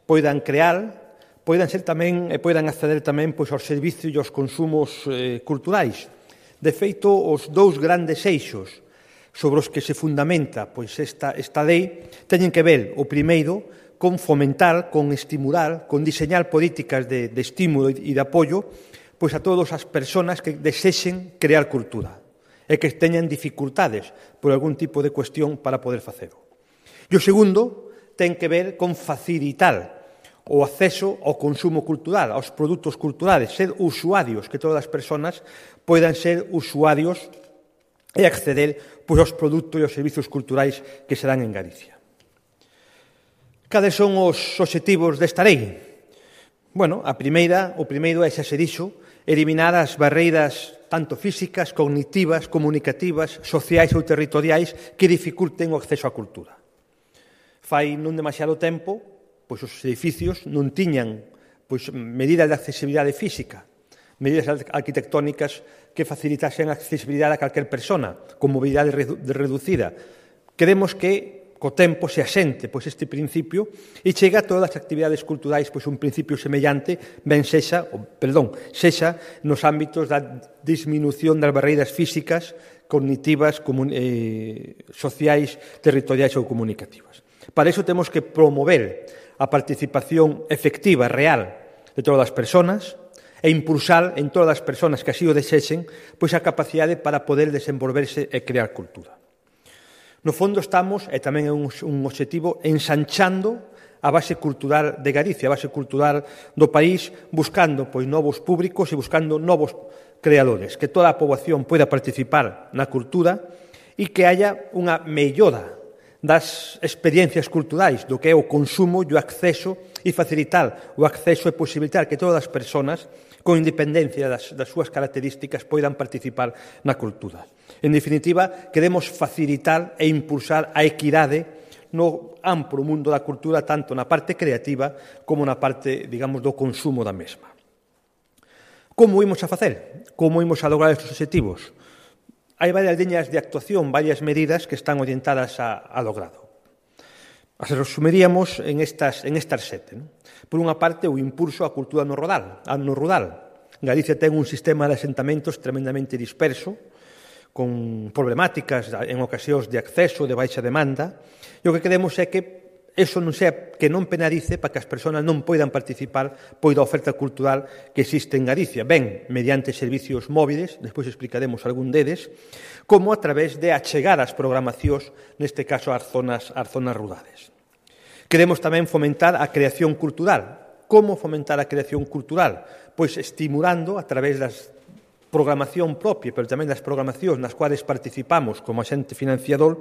poidan crear, poidan ser tamén e poidan acceder tamén pois, aos servicios e aos consumos eh, culturais. De feito, os dous grandes eixos sobre os que se fundamenta pois, esta, esta lei teñen que ver, o primeiro, con fomentar, con estimular, con diseñar políticas de, de estímulo e de apoio pois, a todas as persoas que desexen crear cultura e que teñan dificultades por algún tipo de cuestión para poder facelo. E o segundo ten que ver con facilitar o acceso ao consumo cultural, aos produtos culturales, ser usuarios, que todas as persoas poidan ser usuarios e acceder pois, aos produtos e aos servicios culturais que se dan en Galicia. Cales son os obxectivos desta lei? Bueno, a primeira, o primeiro é, xa se dixo, eliminar as barreiras tanto físicas, cognitivas, comunicativas, sociais ou territoriais que dificulten o acceso á cultura. Fai non demasiado tempo, pois os edificios non tiñan pois, medidas de accesibilidade física, medidas arquitectónicas que facilitasen a accesibilidade a calquer persona, con mobilidade reducida. Queremos que co tempo se asente pois, este principio e chega a todas as actividades culturais pois, un principio semellante, ben sexa, o, perdón, sexa nos ámbitos da disminución das barreiras físicas, cognitivas, comun, eh, sociais, territoriais ou comunicativas. Para iso temos que promover a participación efectiva, real, de todas as persoas e impulsar en todas as persoas que así o desexen pois, a capacidade para poder desenvolverse e crear cultura. No fondo estamos, e tamén é un, un obxectivo, ensanchando a base cultural de Galicia, a base cultural do país, buscando pois, novos públicos e buscando novos creadores, que toda a poboación poida participar na cultura e que haya unha mellora das experiencias culturais, do que é o consumo e o acceso e facilitar o acceso e posibilitar que todas as persoas, con independencia das, das súas características, poidan participar na cultura. En definitiva, queremos facilitar e impulsar a equidade no amplo mundo da cultura, tanto na parte creativa como na parte, digamos, do consumo da mesma. Como imos a facer? Como imos a lograr estes objetivos? Hai varias liñas de actuación, varias medidas que están orientadas a, a logrado. As resumiríamos en estas, en estas sete. Non? Por unha parte, o impulso á cultura no rural. No rural. Galicia ten un sistema de asentamentos tremendamente disperso, con problemáticas en ocasións de acceso, de baixa demanda, e o que queremos é que eso non sea, que non penalice para que as persoas non poidan participar pois da oferta cultural que existe en Galicia, ben mediante servicios móviles, despois explicaremos algún deles, como a través de achegar as programacións, neste caso ás zonas, ás zonas rurales. Queremos tamén fomentar a creación cultural. Como fomentar a creación cultural? Pois estimulando a través das programación propia, pero tamén das programacións nas cuales participamos como axente financiador,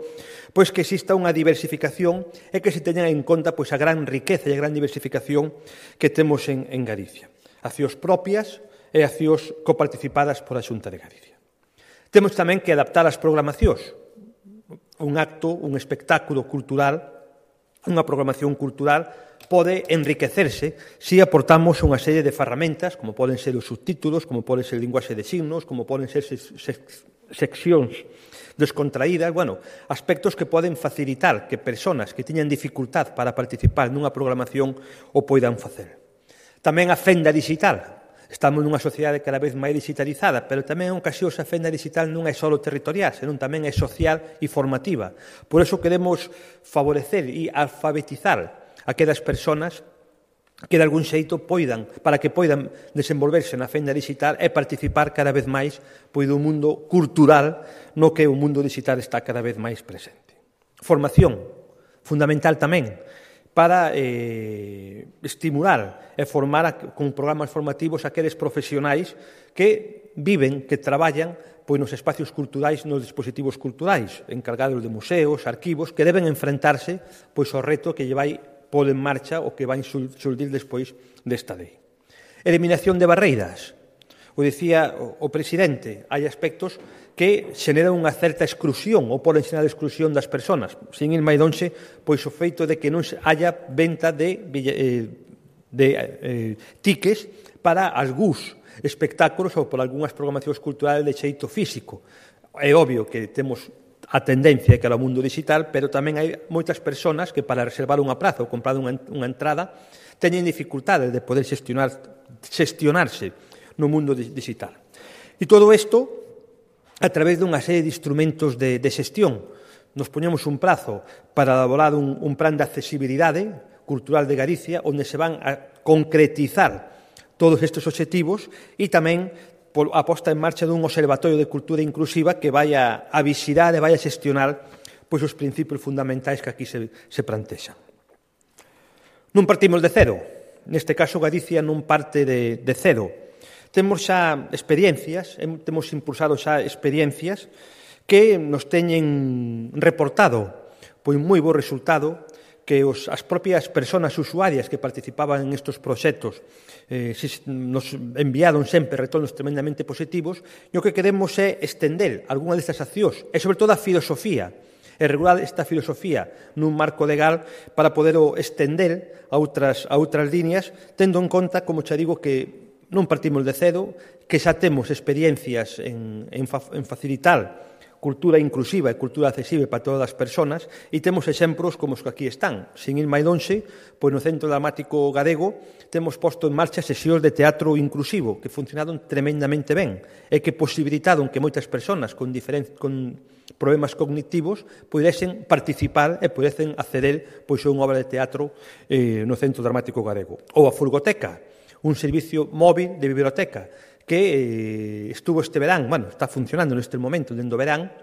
pois que exista unha diversificación e que se teñan en conta pois a gran riqueza e a gran diversificación que temos en, en Galicia. Accións propias e accións coparticipadas por a Xunta de Galicia. Temos tamén que adaptar as programacións. Un acto, un espectáculo cultural, unha programación cultural pode enriquecerse se aportamos unha serie de ferramentas, como poden ser os subtítulos, como poden ser linguaxe de signos, como poden ser seccións descontraídas, bueno, aspectos que poden facilitar que persoas que teñan dificultad para participar nunha programación o poidan facer. Tamén a fenda digital. Estamos nunha sociedade cada vez máis digitalizada, pero tamén en ocasións a fenda digital non é só territorial, senón tamén é social e formativa. Por iso queremos favorecer e alfabetizar aquelas persoas que de algún xeito poidan, para que poidan desenvolverse na fenda digital e participar cada vez máis pois, do mundo cultural no que o mundo digital está cada vez máis presente. Formación, fundamental tamén, para eh, estimular e formar a, con programas formativos aqueles profesionais que viven, que traballan pois, nos espacios culturais, nos dispositivos culturais, encargados de museos, arquivos, que deben enfrentarse pois, ao reto que lle vai pôr en marcha o que vai xurdir despois desta lei. Eliminación de barreiras. O dicía o presidente, hai aspectos que xeneran unha certa exclusión ou poden xenerar exclusión das persoas. Sin ir máis lonxe, pois o feito de que non haya venta de, eh, de eh, tickets para algúns espectáculos ou por algunhas programacións culturales de xeito físico. É obvio que temos a tendencia que era o mundo digital, pero tamén hai moitas persoas que para reservar unha praza ou comprar unha, unha entrada teñen dificultades de poder xestionar, xestionarse no mundo digital. E todo isto a través dunha serie de instrumentos de, de xestión. Nos poñemos un prazo para elaborar un, un plan de accesibilidade cultural de Galicia onde se van a concretizar todos estes obxectivos e tamén a posta en marcha dun observatorio de cultura inclusiva que vai a, a vixirar e vai a xestionar pois, os principios fundamentais que aquí se, se plantexan. Non partimos de cero. Neste caso, Galicia non parte de, de cero. Temos xa experiencias, temos impulsado xa experiencias que nos teñen reportado pois moi bo resultado, que os, as propias persoas usuarias que participaban en estes proxectos eh, nos enviaron sempre retornos tremendamente positivos, e o que queremos é estender algunha destas accións, e sobre todo a filosofía, e regular esta filosofía nun marco legal para poder estender a outras, a outras líneas, tendo en conta, como xa digo, que non partimos de cedo, que xa temos experiencias en, en, fa, en facilitar cultura inclusiva e cultura accesible para todas as persoas, e temos exemplos como os que aquí están. Sin ir máis lonxe, pois no Centro Dramático Galego temos posto en marcha sesións de teatro inclusivo que funcionaron tremendamente ben e que posibilitaron que moitas persoas con, con problemas cognitivos pudesen participar e pudesen acceder pois, a unha obra de teatro eh, no Centro Dramático Galego. Ou a Furgoteca, un servicio móvil de biblioteca que eh, estuvo este verán, bueno, está funcionando neste momento, dentro do verán,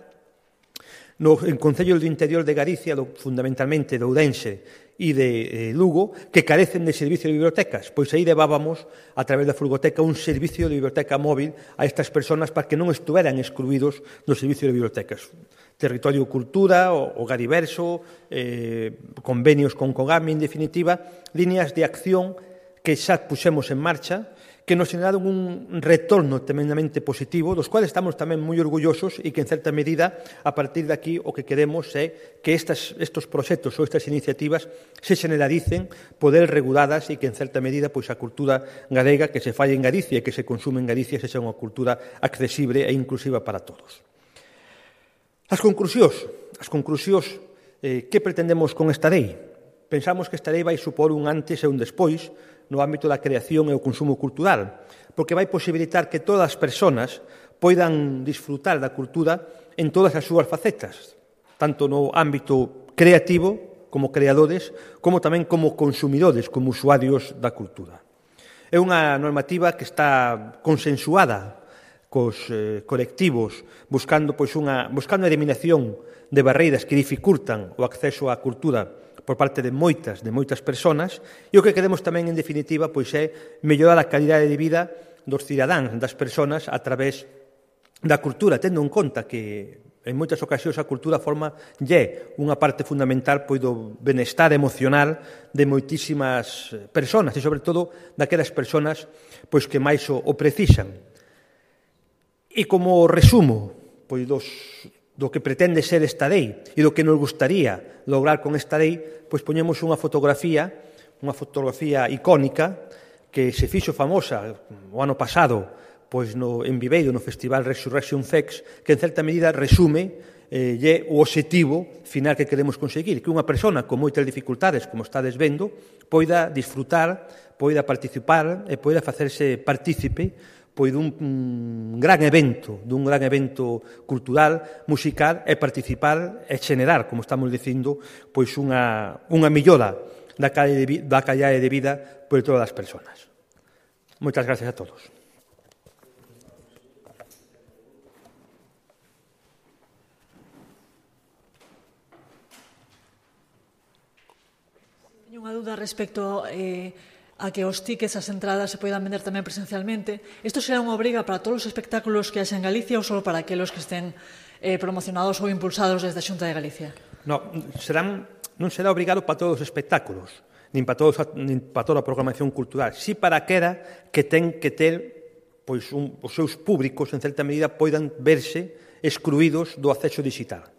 no en Concello do Interior de Galicia, do, fundamentalmente de Ourense e de eh, Lugo que carecen de servicio de bibliotecas. Pois aí levábamos, a través da Furgoteca, un servicio de biblioteca móvil a estas persoas para que non estuveran excluídos do servicio de bibliotecas. Territorio Cultura, o, o Gariverso, eh, convenios con COGAMI, en definitiva, líneas de acción que xa puxemos en marcha, que nos generaron un retorno tremendamente positivo, dos cuales estamos tamén moi orgullosos e que, en certa medida, a partir de aquí, o que queremos é que estas, estos proxectos ou estas iniciativas se generaricen, poder reguladas e que, en certa medida, pois a cultura galega que se falla en Galicia e que se consume en Galicia sexa unha cultura accesible e inclusiva para todos. As conclusións. As conclusións, eh, que pretendemos con esta lei? Pensamos que esta lei vai supor un antes e un despois no ámbito da creación e o consumo cultural, porque vai posibilitar que todas as persoas poidan disfrutar da cultura en todas as súas facetas, tanto no ámbito creativo, como creadores, como tamén como consumidores, como usuarios da cultura. É unha normativa que está consensuada cos eh, colectivos, buscando, pois, unha, buscando a eliminación de barreiras que dificultan o acceso á cultura por parte de moitas, de moitas persoas, e o que queremos tamén, en definitiva, pois é mellorar a calidade de vida dos cidadáns, das persoas, a través da cultura, tendo en conta que en moitas ocasións a cultura forma lle unha parte fundamental pois, do benestar emocional de moitísimas persoas, e sobre todo daquelas persoas pois, que máis o, o precisan. E como resumo pois, dos do que pretende ser esta lei e do que nos gustaría lograr con esta lei, pois poñemos unha fotografía, unha fotografía icónica que se fixo famosa o ano pasado pois no, en Viveiro, no Festival Resurrection Fest, que en certa medida resume eh, lle o obxectivo final que queremos conseguir, que unha persona con moitas dificultades, como estades vendo, poida disfrutar, poida participar e poida facerse partícipe pois dun un gran evento, dun gran evento cultural, musical, e participar e generar, como estamos dicindo, pois unha, unha millora da calidade de, da calidade de vida por todas as persoas. Moitas gracias a todos. Teño unha dúda respecto eh, a que os tickets, as entradas se poidan vender tamén presencialmente. Isto será unha obriga para todos os espectáculos que haxa en Galicia ou só para aqueles que estén eh, promocionados ou impulsados desde a Xunta de Galicia? No, serán, non será obrigado para todos os espectáculos, nin para, todos, nin para toda a programación cultural, si para aquela que ten que ter pois, un, os seus públicos, en certa medida, poidan verse excluídos do acceso digital.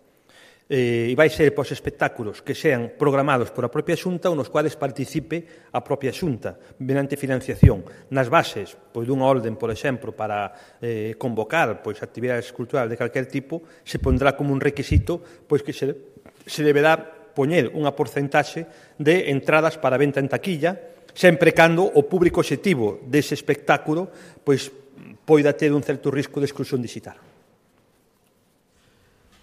Eh, e vai ser para os espectáculos que sean programados por a propia Xunta ou nos cuales participe a propia Xunta mediante financiación. Nas bases pois, dunha orden, por exemplo, para eh, convocar pois, actividades culturales de calquer tipo, se pondrá como un requisito pois, que se, se deberá poñer unha porcentaxe de entradas para venta en taquilla, sempre cando o público obxectivo dese espectáculo pois, poida ter un certo risco de exclusión digital.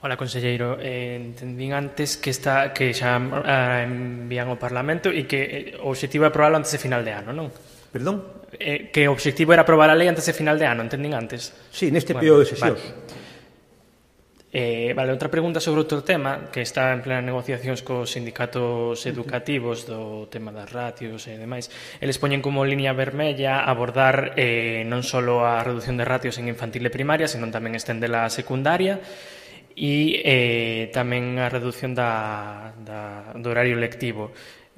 Hola, conselleiro. Eh, entendín antes que está que xa eh, envían ao Parlamento e que eh, o obxectivo é aprobarlo antes de final de ano, non? Perdón? Eh, que o obxectivo era aprobar a lei antes de final de ano, entendín antes? Sí, neste bueno, período de sesións. Vale. Eh, vale, outra pregunta sobre outro tema que está en plena negociacións cos sindicatos educativos do tema das ratios e demais. Eles poñen como línea vermella abordar eh, non só a reducción de ratios en infantil e primaria, senón tamén estendela a secundaria, e eh, tamén a reducción da, da, do horario lectivo.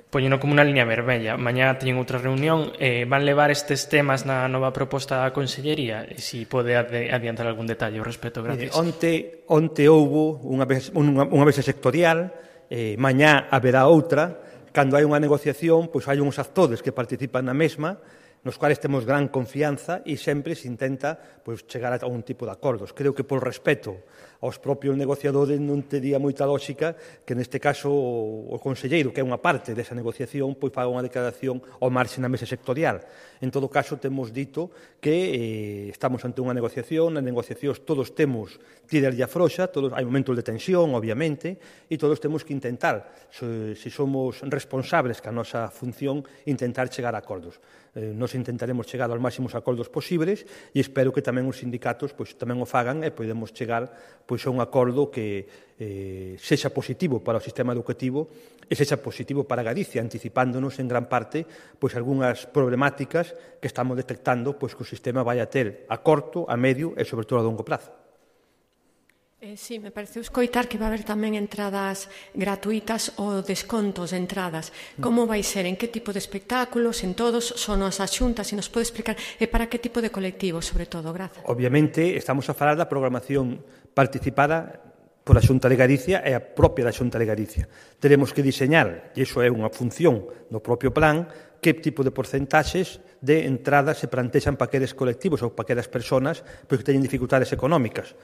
Poñeno como unha línea vermella. Mañá teñen outra reunión. Eh, van levar estes temas na nova proposta da Consellería? E se pode adiantar algún detalle ao respecto? Gracias. Eh, onte, onte houbo unha vez, unha, unha vez sectorial, eh, mañá haberá outra. Cando hai unha negociación, pois hai uns actores que participan na mesma, nos cuales temos gran confianza e sempre se intenta pois, chegar a un tipo de acordos. Creo que por respeto aos propios negociadores non tería moita lógica que neste caso o, o conselleiro, que é unha parte desa negociación, pois faga unha declaración ao marxe na mesa sectorial. En todo caso, temos dito que eh, estamos ante unha negociación, nas negociacións todos temos tirar e afroxa, todos, hai momentos de tensión, obviamente, e todos temos que intentar, se, se somos responsables que a nosa función, intentar chegar a acordos. Eh, non nos intentaremos chegar aos máximos acordos posibles e espero que tamén os sindicatos pois, tamén o fagan e podemos chegar pois, a un acordo que eh, sexa positivo para o sistema educativo e sexa positivo para Galicia, anticipándonos en gran parte pois, algunhas problemáticas que estamos detectando pois, que o sistema vai a ter a corto, a medio e sobre todo a longo prazo. Eh, sí, me pareceu escoitar que va haber tamén entradas gratuitas ou descontos de entradas. Como vai ser? En que tipo de espectáculos? En todos? Son as xuntas? Se nos pode explicar? E para que tipo de colectivos, sobre todo? Grazas. Obviamente, estamos a falar da programación participada pola Xunta de Galicia e a propia da Xunta de Galicia. Teremos que diseñar, e iso é unha función do propio plan, que tipo de porcentaxes de entradas se plantexan para aqueles colectivos ou para aquelas persoas que teñen dificultades económicas.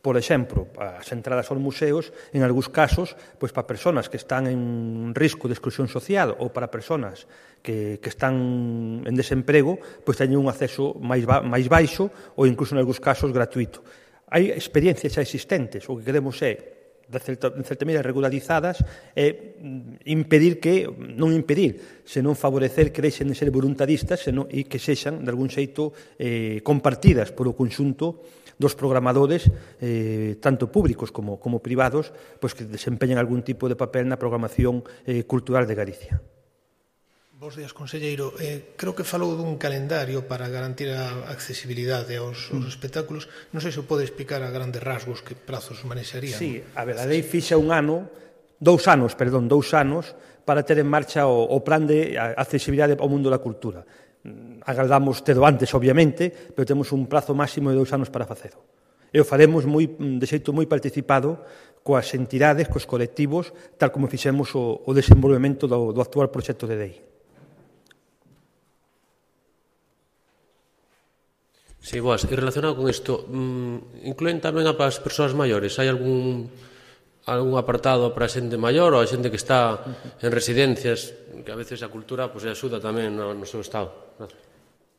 Por exemplo, as entradas aos museos, en algúns casos, pois para persoas que están en risco de exclusión social ou para persoas que, que están en desemprego, pois teñen un acceso máis, ba, máis baixo ou incluso en algúns casos gratuito. Hai experiencias xa existentes, o que queremos é de certa, de certa medida regularizadas e impedir que, non impedir, senón favorecer que deixen de ser voluntaristas senón, e que sexan, de algún xeito, eh, compartidas por o conxunto dos programadores, eh, tanto públicos como, como privados, pois que desempeñan algún tipo de papel na programación eh, cultural de Galicia. Bos días, conselleiro. Eh, creo que falou dun calendario para garantir a accesibilidade aos, aos espectáculos. Non sei se o pode explicar a grandes rasgos que prazos manexarían. Sí, a ver, a lei fixa un ano, dous anos, perdón, dous anos, para ter en marcha o, o plan de accesibilidade ao mundo da cultura. Agardamos tedo antes, obviamente, pero temos un prazo máximo de dous anos para facelo. E o faremos moi, de xeito moi participado coas entidades, cos colectivos, tal como fixemos o, o desenvolvemento do, do actual proxecto de lei. Sí, boas. E relacionado con isto, incluen tamén a as persoas maiores? Hai algún algún apartado para a xente maior ou a xente que está en residencias, que a veces a cultura pues, axuda tamén no, no seu estado?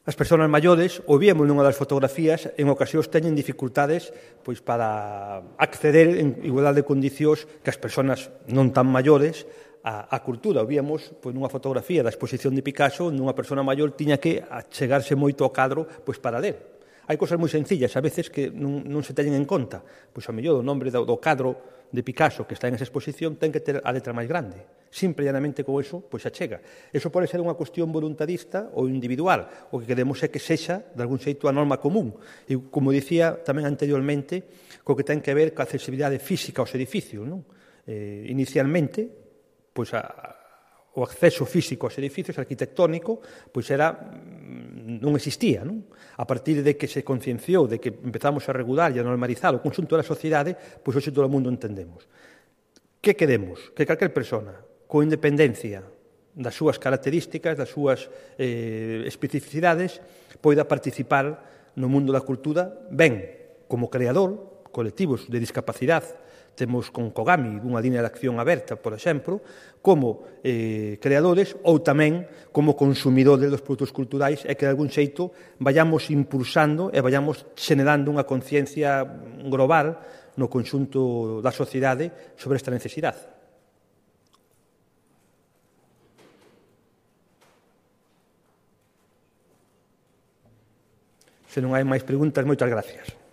As persoas maiores, o víamos nunha das fotografías, en ocasións teñen dificultades pois, para acceder en igualdade de condicións que as persoas non tan maiores a, a cultura. O víamos pois, nunha fotografía da exposición de Picasso, nunha persoa maior tiña que achegarse moito ao cadro pois, para ler. Hai cosas moi sencillas, a veces, que non, non se teñen en conta. Pois, ao mellor, o nombre do, do cadro de Picasso que está en esa exposición ten que ter a letra máis grande. Simple e llanamente con eso, pois achega. Eso pode ser unha cuestión voluntarista ou individual. O que queremos é que sexa, de algún xeito, a norma común. E, como dicía tamén anteriormente, co que ten que ver ca accesibilidade física aos edificios. Non? Eh, inicialmente, pois a, o acceso físico aos edificios arquitectónico pois era non existía, non? A partir de que se concienciou, de que empezamos a regular e a normalizar o conxunto da sociedade, pois hoxe todo o mundo entendemos. Que queremos? Que calquer persona, con independencia das súas características, das súas eh, especificidades, poida participar no mundo da cultura ben como creador, colectivos de discapacidade. Temos con Kogami unha línea de acción aberta, por exemplo, como eh, creadores ou tamén como consumidores dos produtos culturais e que de algún xeito vayamos impulsando e vayamos generando unha conciencia global no conxunto da sociedade sobre esta necesidade. Se non hai máis preguntas, moitas gracias.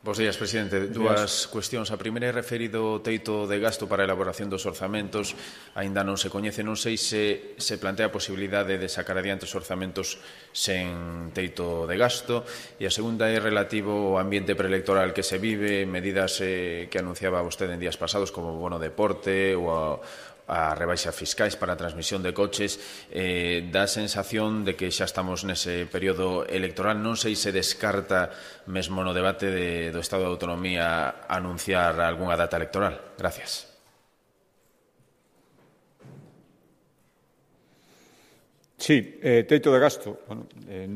Bos días, presidente. Dúas cuestións. A primeira é referido ao teito de gasto para a elaboración dos orzamentos. Aínda non se coñece, non sei se se plantea a posibilidade de sacar adiante os orzamentos sen teito de gasto. E a segunda é relativo ao ambiente preelectoral que se vive, medidas eh, que anunciaba vostede en días pasados como o bono deporte ou a a rebaixas fiscais para a transmisión de coches, eh, dá a sensación de que xa estamos nese período electoral. Non sei se descarta mesmo no debate de, do Estado de Autonomía anunciar algunha data electoral. Gracias. Sí, eh, teito de gasto. Bueno, eh,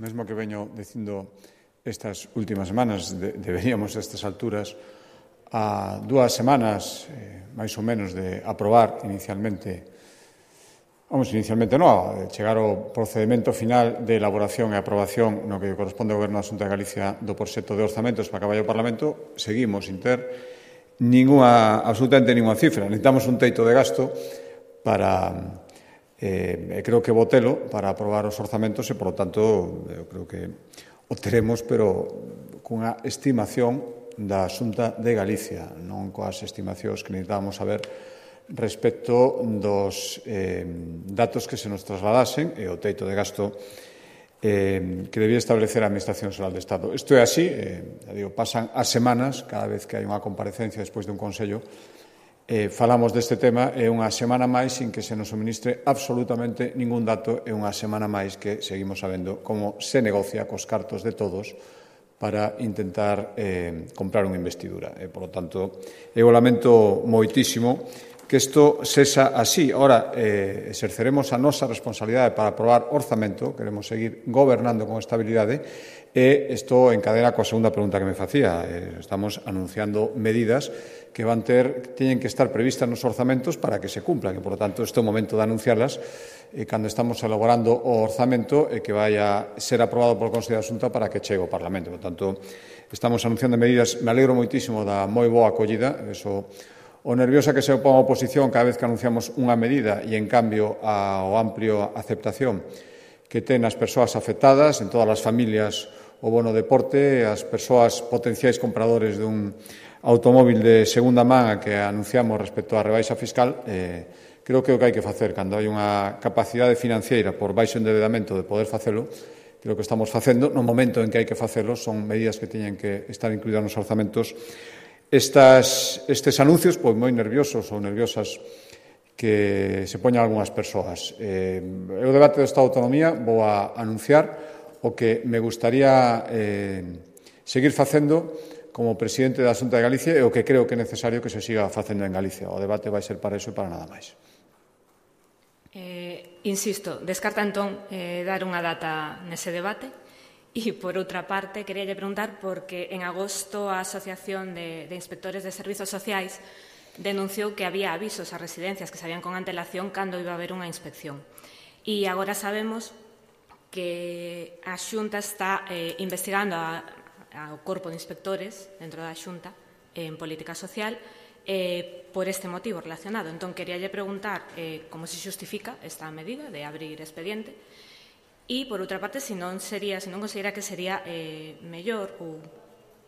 mesmo que veño dicindo estas últimas semanas, de, deberíamos a estas alturas a dúas semanas, eh, máis ou menos, de aprobar inicialmente, vamos, inicialmente non, chegar ao procedimento final de elaboración e aprobación no que corresponde ao Goberno da Xunta de Galicia do proxecto de orzamentos para que vaya ao Parlamento, seguimos sin ter ninguna, absolutamente ninguna cifra. Necesitamos un teito de gasto para, eh, creo que botelo, para aprobar os orzamentos e, por lo tanto, eu creo que o teremos, pero cunha estimación da Xunta de Galicia, non coas estimacións que necesitábamos saber respecto dos eh, datos que se nos trasladasen e o teito de gasto eh, que debía establecer a Administración Xeral de Estado. Isto é así, eh, digo, pasan as semanas, cada vez que hai unha comparecencia despois de un Consello, eh, falamos deste tema e unha semana máis sin que se nos suministre absolutamente ningún dato e unha semana máis que seguimos sabendo como se negocia cos cartos de todos para intentar eh, comprar unha investidura. E, por lo tanto, eu lamento moitísimo que isto sexa así. Ora, eh, exerceremos a nosa responsabilidade para aprobar orzamento, queremos seguir gobernando con estabilidade, e isto encadena coa segunda pregunta que me facía. Eh, estamos anunciando medidas que van ter, teñen que estar previstas nos orzamentos para que se cumplan, e, por lo tanto, este é o momento de anunciarlas e cando estamos elaborando o orzamento e que vai a ser aprobado polo Consello da Xunta para que chegue ao Parlamento. Por tanto, estamos anunciando medidas. Me alegro moitísimo da moi boa acollida. Eso, o nerviosa que se opón a oposición cada vez que anunciamos unha medida e, en cambio, ao amplio aceptación que ten as persoas afectadas, en todas as familias, o bono deporte, as persoas potenciais compradores dun automóvil de segunda man que anunciamos respecto á rebaixa fiscal, eh, creo que o que hai que facer cando hai unha capacidade financiera por baixo endeudamento de poder facelo, creo que estamos facendo, no momento en que hai que facelo, son medidas que teñen que estar incluídas nos orzamentos. Estas, estes anuncios, pois moi nerviosos ou nerviosas que se poñan algunhas persoas. Eh, o debate do Estado de Autonomía vou a anunciar o que me gustaría eh, seguir facendo como presidente da Xunta de Galicia e o que creo que é necesario que se siga facendo en Galicia. O debate vai ser para iso e para nada máis. Eh, insisto, descarta entón eh, dar unha data nese debate e, por outra parte, queríalle preguntar porque en agosto a Asociación de, de Inspectores de Servizos Sociais denunciou que había avisos a residencias que sabían con antelación cando iba a haber unha inspección. E agora sabemos que a Xunta está eh, investigando a, ao corpo de inspectores dentro da Xunta en política social eh, por este motivo relacionado. Entón, queríalle preguntar eh, como se xustifica esta medida de abrir expediente e, por outra parte, se non sería, se non considera que sería eh, mellor ou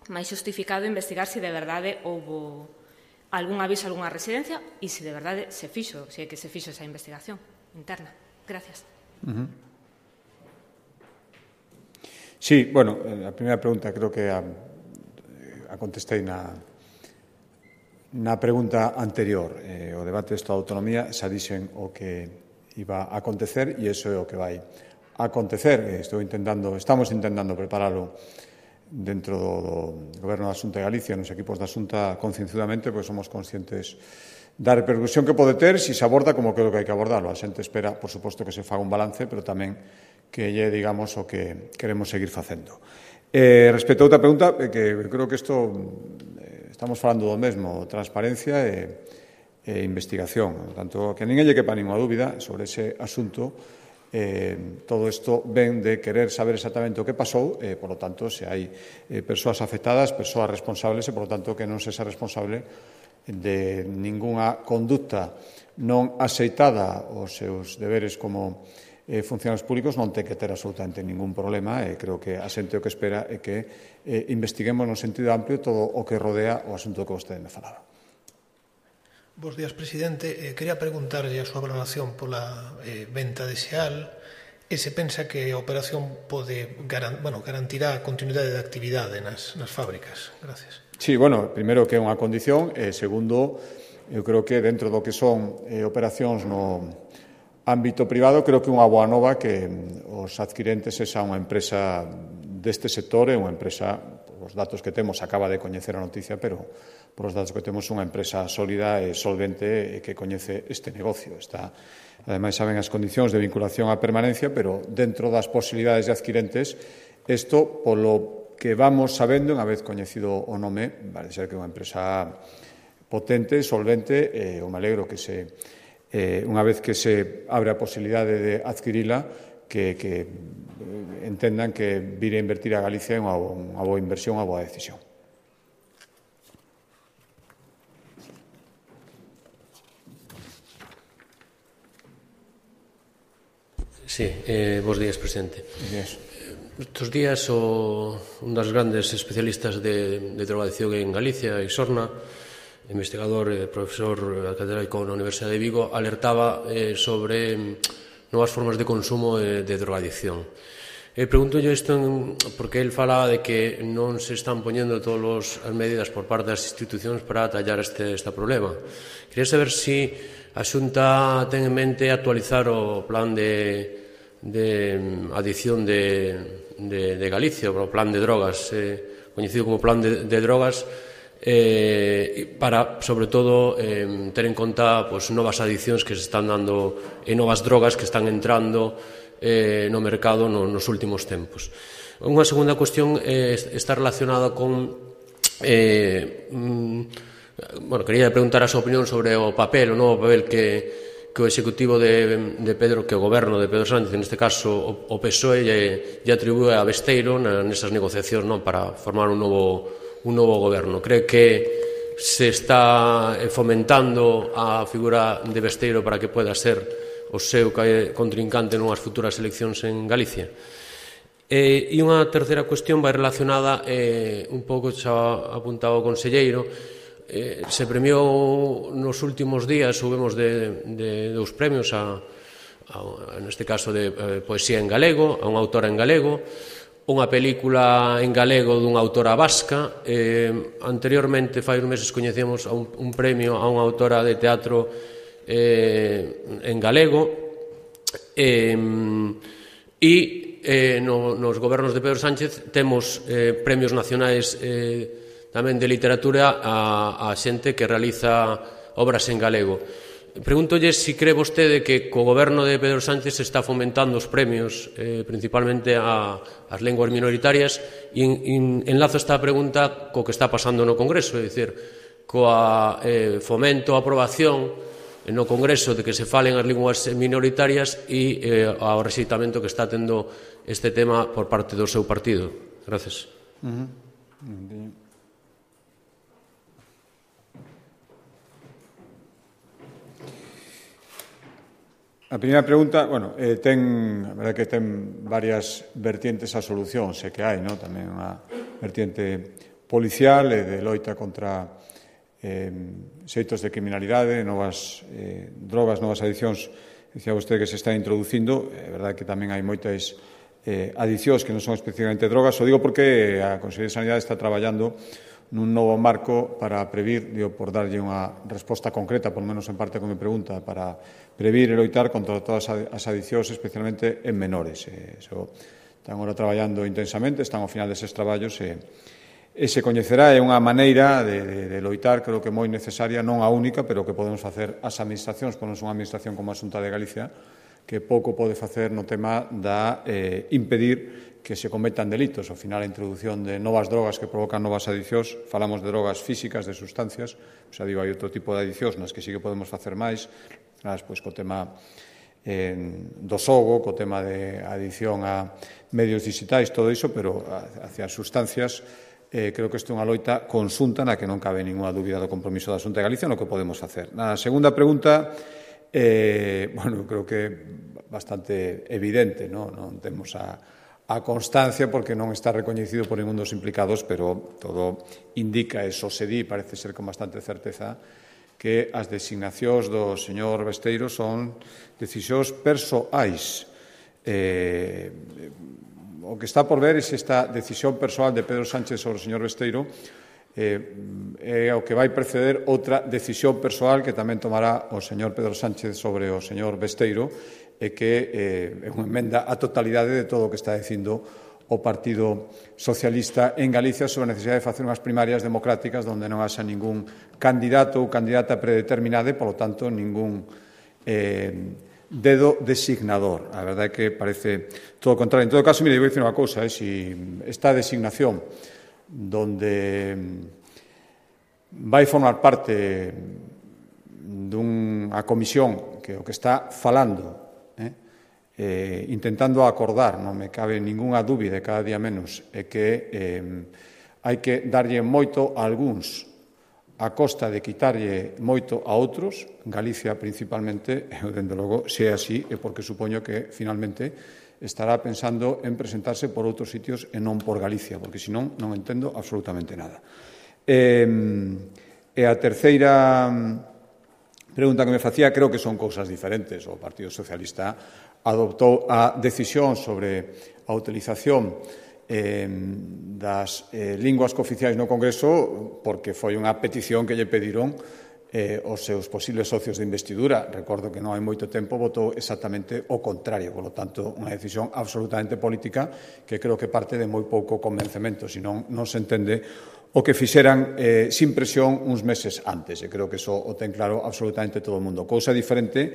máis justificado investigar se de verdade houbo algún aviso a algunha residencia e se de verdade se fixo, se é que se fixo esa investigación interna. Gracias. Uh-huh. Sí, bueno, a primeira pregunta creo que a, a contestei na Na pregunta anterior, eh, o debate do Estado de Autonomía xa dixen o que iba a acontecer e iso é o que vai a acontecer. Estou intentando, estamos intentando preparalo dentro do, do Goberno da Xunta de Galicia, nos equipos da Xunta concienzudamente, pois somos conscientes da repercusión que pode ter se se aborda como creo que hai que abordarlo. A xente espera, por suposto, que se faga un balance, pero tamén que lle digamos o que queremos seguir facendo. Eh, respecto a outra pregunta, eh, que creo que isto... Estamos falando do mesmo, transparencia e, e investigación. Por tanto, que a ninguén lle quepa ninguna dúbida sobre ese asunto. Eh, todo isto ven de querer saber exactamente o que pasou, e, por lo tanto, se hai eh, persoas afectadas, persoas responsables, e, por lo tanto, que non se xa responsable de ningunha conducta non aceitada os seus deberes como eh, funcionarios públicos non ten que ter absolutamente ningún problema e creo que a xente o que espera é que eh, investiguemos no sentido amplio todo o que rodea o asunto que vostede me falaba. Bos días, presidente. Eh, quería preguntarlle a súa valoración pola eh, venta de Xeal e se pensa que a operación pode garan, bueno, garantirá a continuidade de actividade nas, nas fábricas. Gracias. Sí, bueno, primeiro que é unha condición e segundo, eu creo que dentro do que son eh, operacións no ámbito privado, creo que unha boa nova que os adquirentes esa unha empresa deste sector é unha empresa, por os datos que temos, acaba de coñecer a noticia, pero por os datos que temos unha empresa sólida e solvente e que coñece este negocio. Está, ademais, saben as condicións de vinculación á permanencia, pero dentro das posibilidades de adquirentes, isto, polo que vamos sabendo, unha vez coñecido o nome, parece ser que é unha empresa potente, solvente, e eu me alegro que se, eh, unha vez que se abre a posibilidade de adquirila, que, que entendan que vir a invertir a Galicia é unha, unha boa inversión, unha boa decisión. Sí, eh, bons días, presidente. Bos días. Estos días o, un das grandes especialistas de, de drogadicción en Galicia, Isorna, investigador e profesor catedrático na Universidade de Vigo, alertaba eh, sobre novas formas de consumo de, de drogadicción. E pregunto yo isto en, porque el falaba de que non se están poñendo todas as medidas por parte das institucións para atallar este, este problema. Quería saber se si a Xunta ten en mente actualizar o plan de de adición de, de, de Galicia, o plan de drogas, eh, coñecido como plan de, de drogas, eh, para, sobre todo, eh, ter en conta pues, novas adicións que se están dando e novas drogas que están entrando eh, no mercado no, nos últimos tempos. Unha segunda cuestión eh, está relacionada con... Eh, mm, bueno, quería preguntar a súa opinión sobre o papel, o novo papel que que o executivo de, de Pedro, que o goberno de Pedro Sánchez, neste caso o, o P S O E, lle, lle atribúe a Besteiro na, nesas negociacións, non, para formar un novo, un novo goberno. Cree que se está fomentando a figura de Besteiro para que pueda ser o seu contrincante nunhas futuras eleccións en Galicia. E, e unha terceira cuestión vai relacionada, eh, un pouco xa apuntado o conselleiro, Eh, se premiou nos últimos días, subimos de, de dous premios a, a, neste caso de eh, poesía en galego, a unha autora en galego, unha película en galego dunha autora vasca. Eh, anteriormente, fai uns meses, coñecemos a un, un premio a unha autora de teatro eh, en galego, eh, e eh, no, nos gobernos de Pedro Sánchez temos eh, premios nacionais eh, tamén de literatura a, a xente que realiza obras en galego. Pregúntolle se si cree vostede que co goberno de Pedro Sánchez se está fomentando os premios, eh, principalmente a, as linguas minoritarias, e en, en, enlazo esta pregunta co que está pasando no Congreso, é dicir, coa eh, fomento, aprobación no Congreso de que se falen as linguas minoritarias e eh, ao rexeitamento que está tendo este tema por parte do seu partido. Gracias. Uh-huh. Uh-huh. A primeira pregunta, bueno, eh, ten, a verdade que ten varias vertientes a solución, sei que hai, no? Tamén unha vertiente policial e de loita contra eh, xeitos de criminalidade, novas eh, drogas, novas adicións, dicía vostede que se está introducindo, é verdade que tamén hai moitas eh, adicións que non son especificamente drogas, o digo porque a Consellería de Sanidade está traballando nun novo marco para previr, digo, por darlle unha resposta concreta, por menos en parte con mi pregunta, para previr e loitar contra todas as adicións, especialmente en menores. Eh, so, están agora traballando intensamente, están ao final deses traballos e, e se coñecerá, é unha maneira de, de, de loitar, creo que moi necesaria, non a única, pero que podemos facer as administracións, por non unha administración como a Xunta de Galicia, que pouco pode facer no tema da eh, impedir que se cometan delitos. Ao final, a introdución de novas drogas que provocan novas adicións, falamos de drogas físicas, de sustancias, xa digo, hai outro tipo de adicións nas que sí que podemos facer máis, pois, co tema eh, do xogo, co tema de adición a medios digitais, todo iso, pero hacia as sustancias, eh, creo que isto é unha loita conxunta na que non cabe ninguna dúbida do compromiso da Xunta de Galicia no que podemos facer. Na segunda pregunta, eh, bueno, creo que bastante evidente, non, non temos a a constancia porque non está recoñecido por ningún dos implicados, pero todo indica, e só se di, parece ser con bastante certeza, que as designacións do señor Besteiro son decisións persoais. Eh, o que está por ver é se esta decisión persoal de Pedro Sánchez sobre o señor Besteiro eh, é o que vai preceder outra decisión persoal que tamén tomará o señor Pedro Sánchez sobre o señor Besteiro, e que eh, é unha emenda á totalidade de todo o que está dicindo o Partido Socialista en Galicia sobre a necesidade de facer unhas primarias democráticas onde non haxa ningún candidato ou candidata predeterminada e, polo tanto, ningún eh, dedo designador. A verdade é que parece todo o contrario. En todo caso, mire, vou dicir unha cousa, eh, si esta designación donde vai formar parte dunha comisión que o que está falando, eh, eh, intentando acordar, non me cabe ningunha dúbida, cada día menos, é que eh, hai que darlle moito a algúns a costa de quitarlle moito a outros, Galicia principalmente, e, dende logo, se é así, é porque supoño que, finalmente, estará pensando en presentarse por outros sitios e non por Galicia, porque, senón, non entendo absolutamente nada. E, e a terceira pregunta que me facía, creo que son cousas diferentes. O Partido Socialista adoptou a decisión sobre a utilización eh, das eh, linguas cooficiais no Congreso porque foi unha petición que lle pediron eh, os seus posibles socios de investidura. Recordo que non hai moito tempo votou exactamente o contrario, polo tanto, unha decisión absolutamente política que creo que parte de moi pouco convencemento, senón non se entende o que fixeran eh, sin presión uns meses antes. E creo que iso o ten claro absolutamente todo o mundo. Cousa diferente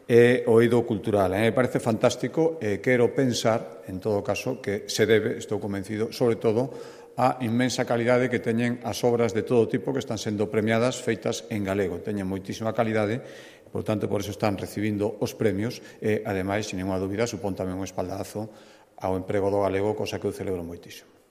é o eido cultural. Me parece fantástico e quero pensar, en todo caso, que se debe, estou convencido, sobre todo, a inmensa calidade que teñen as obras de todo tipo que están sendo premiadas feitas en galego. Teñen moitísima calidade, por tanto, por eso están recibindo os premios e, ademais, sin ninguna dúbida, supón tamén un espaldarazo ao emprego do galego, cosa que eu celebro moitísimo.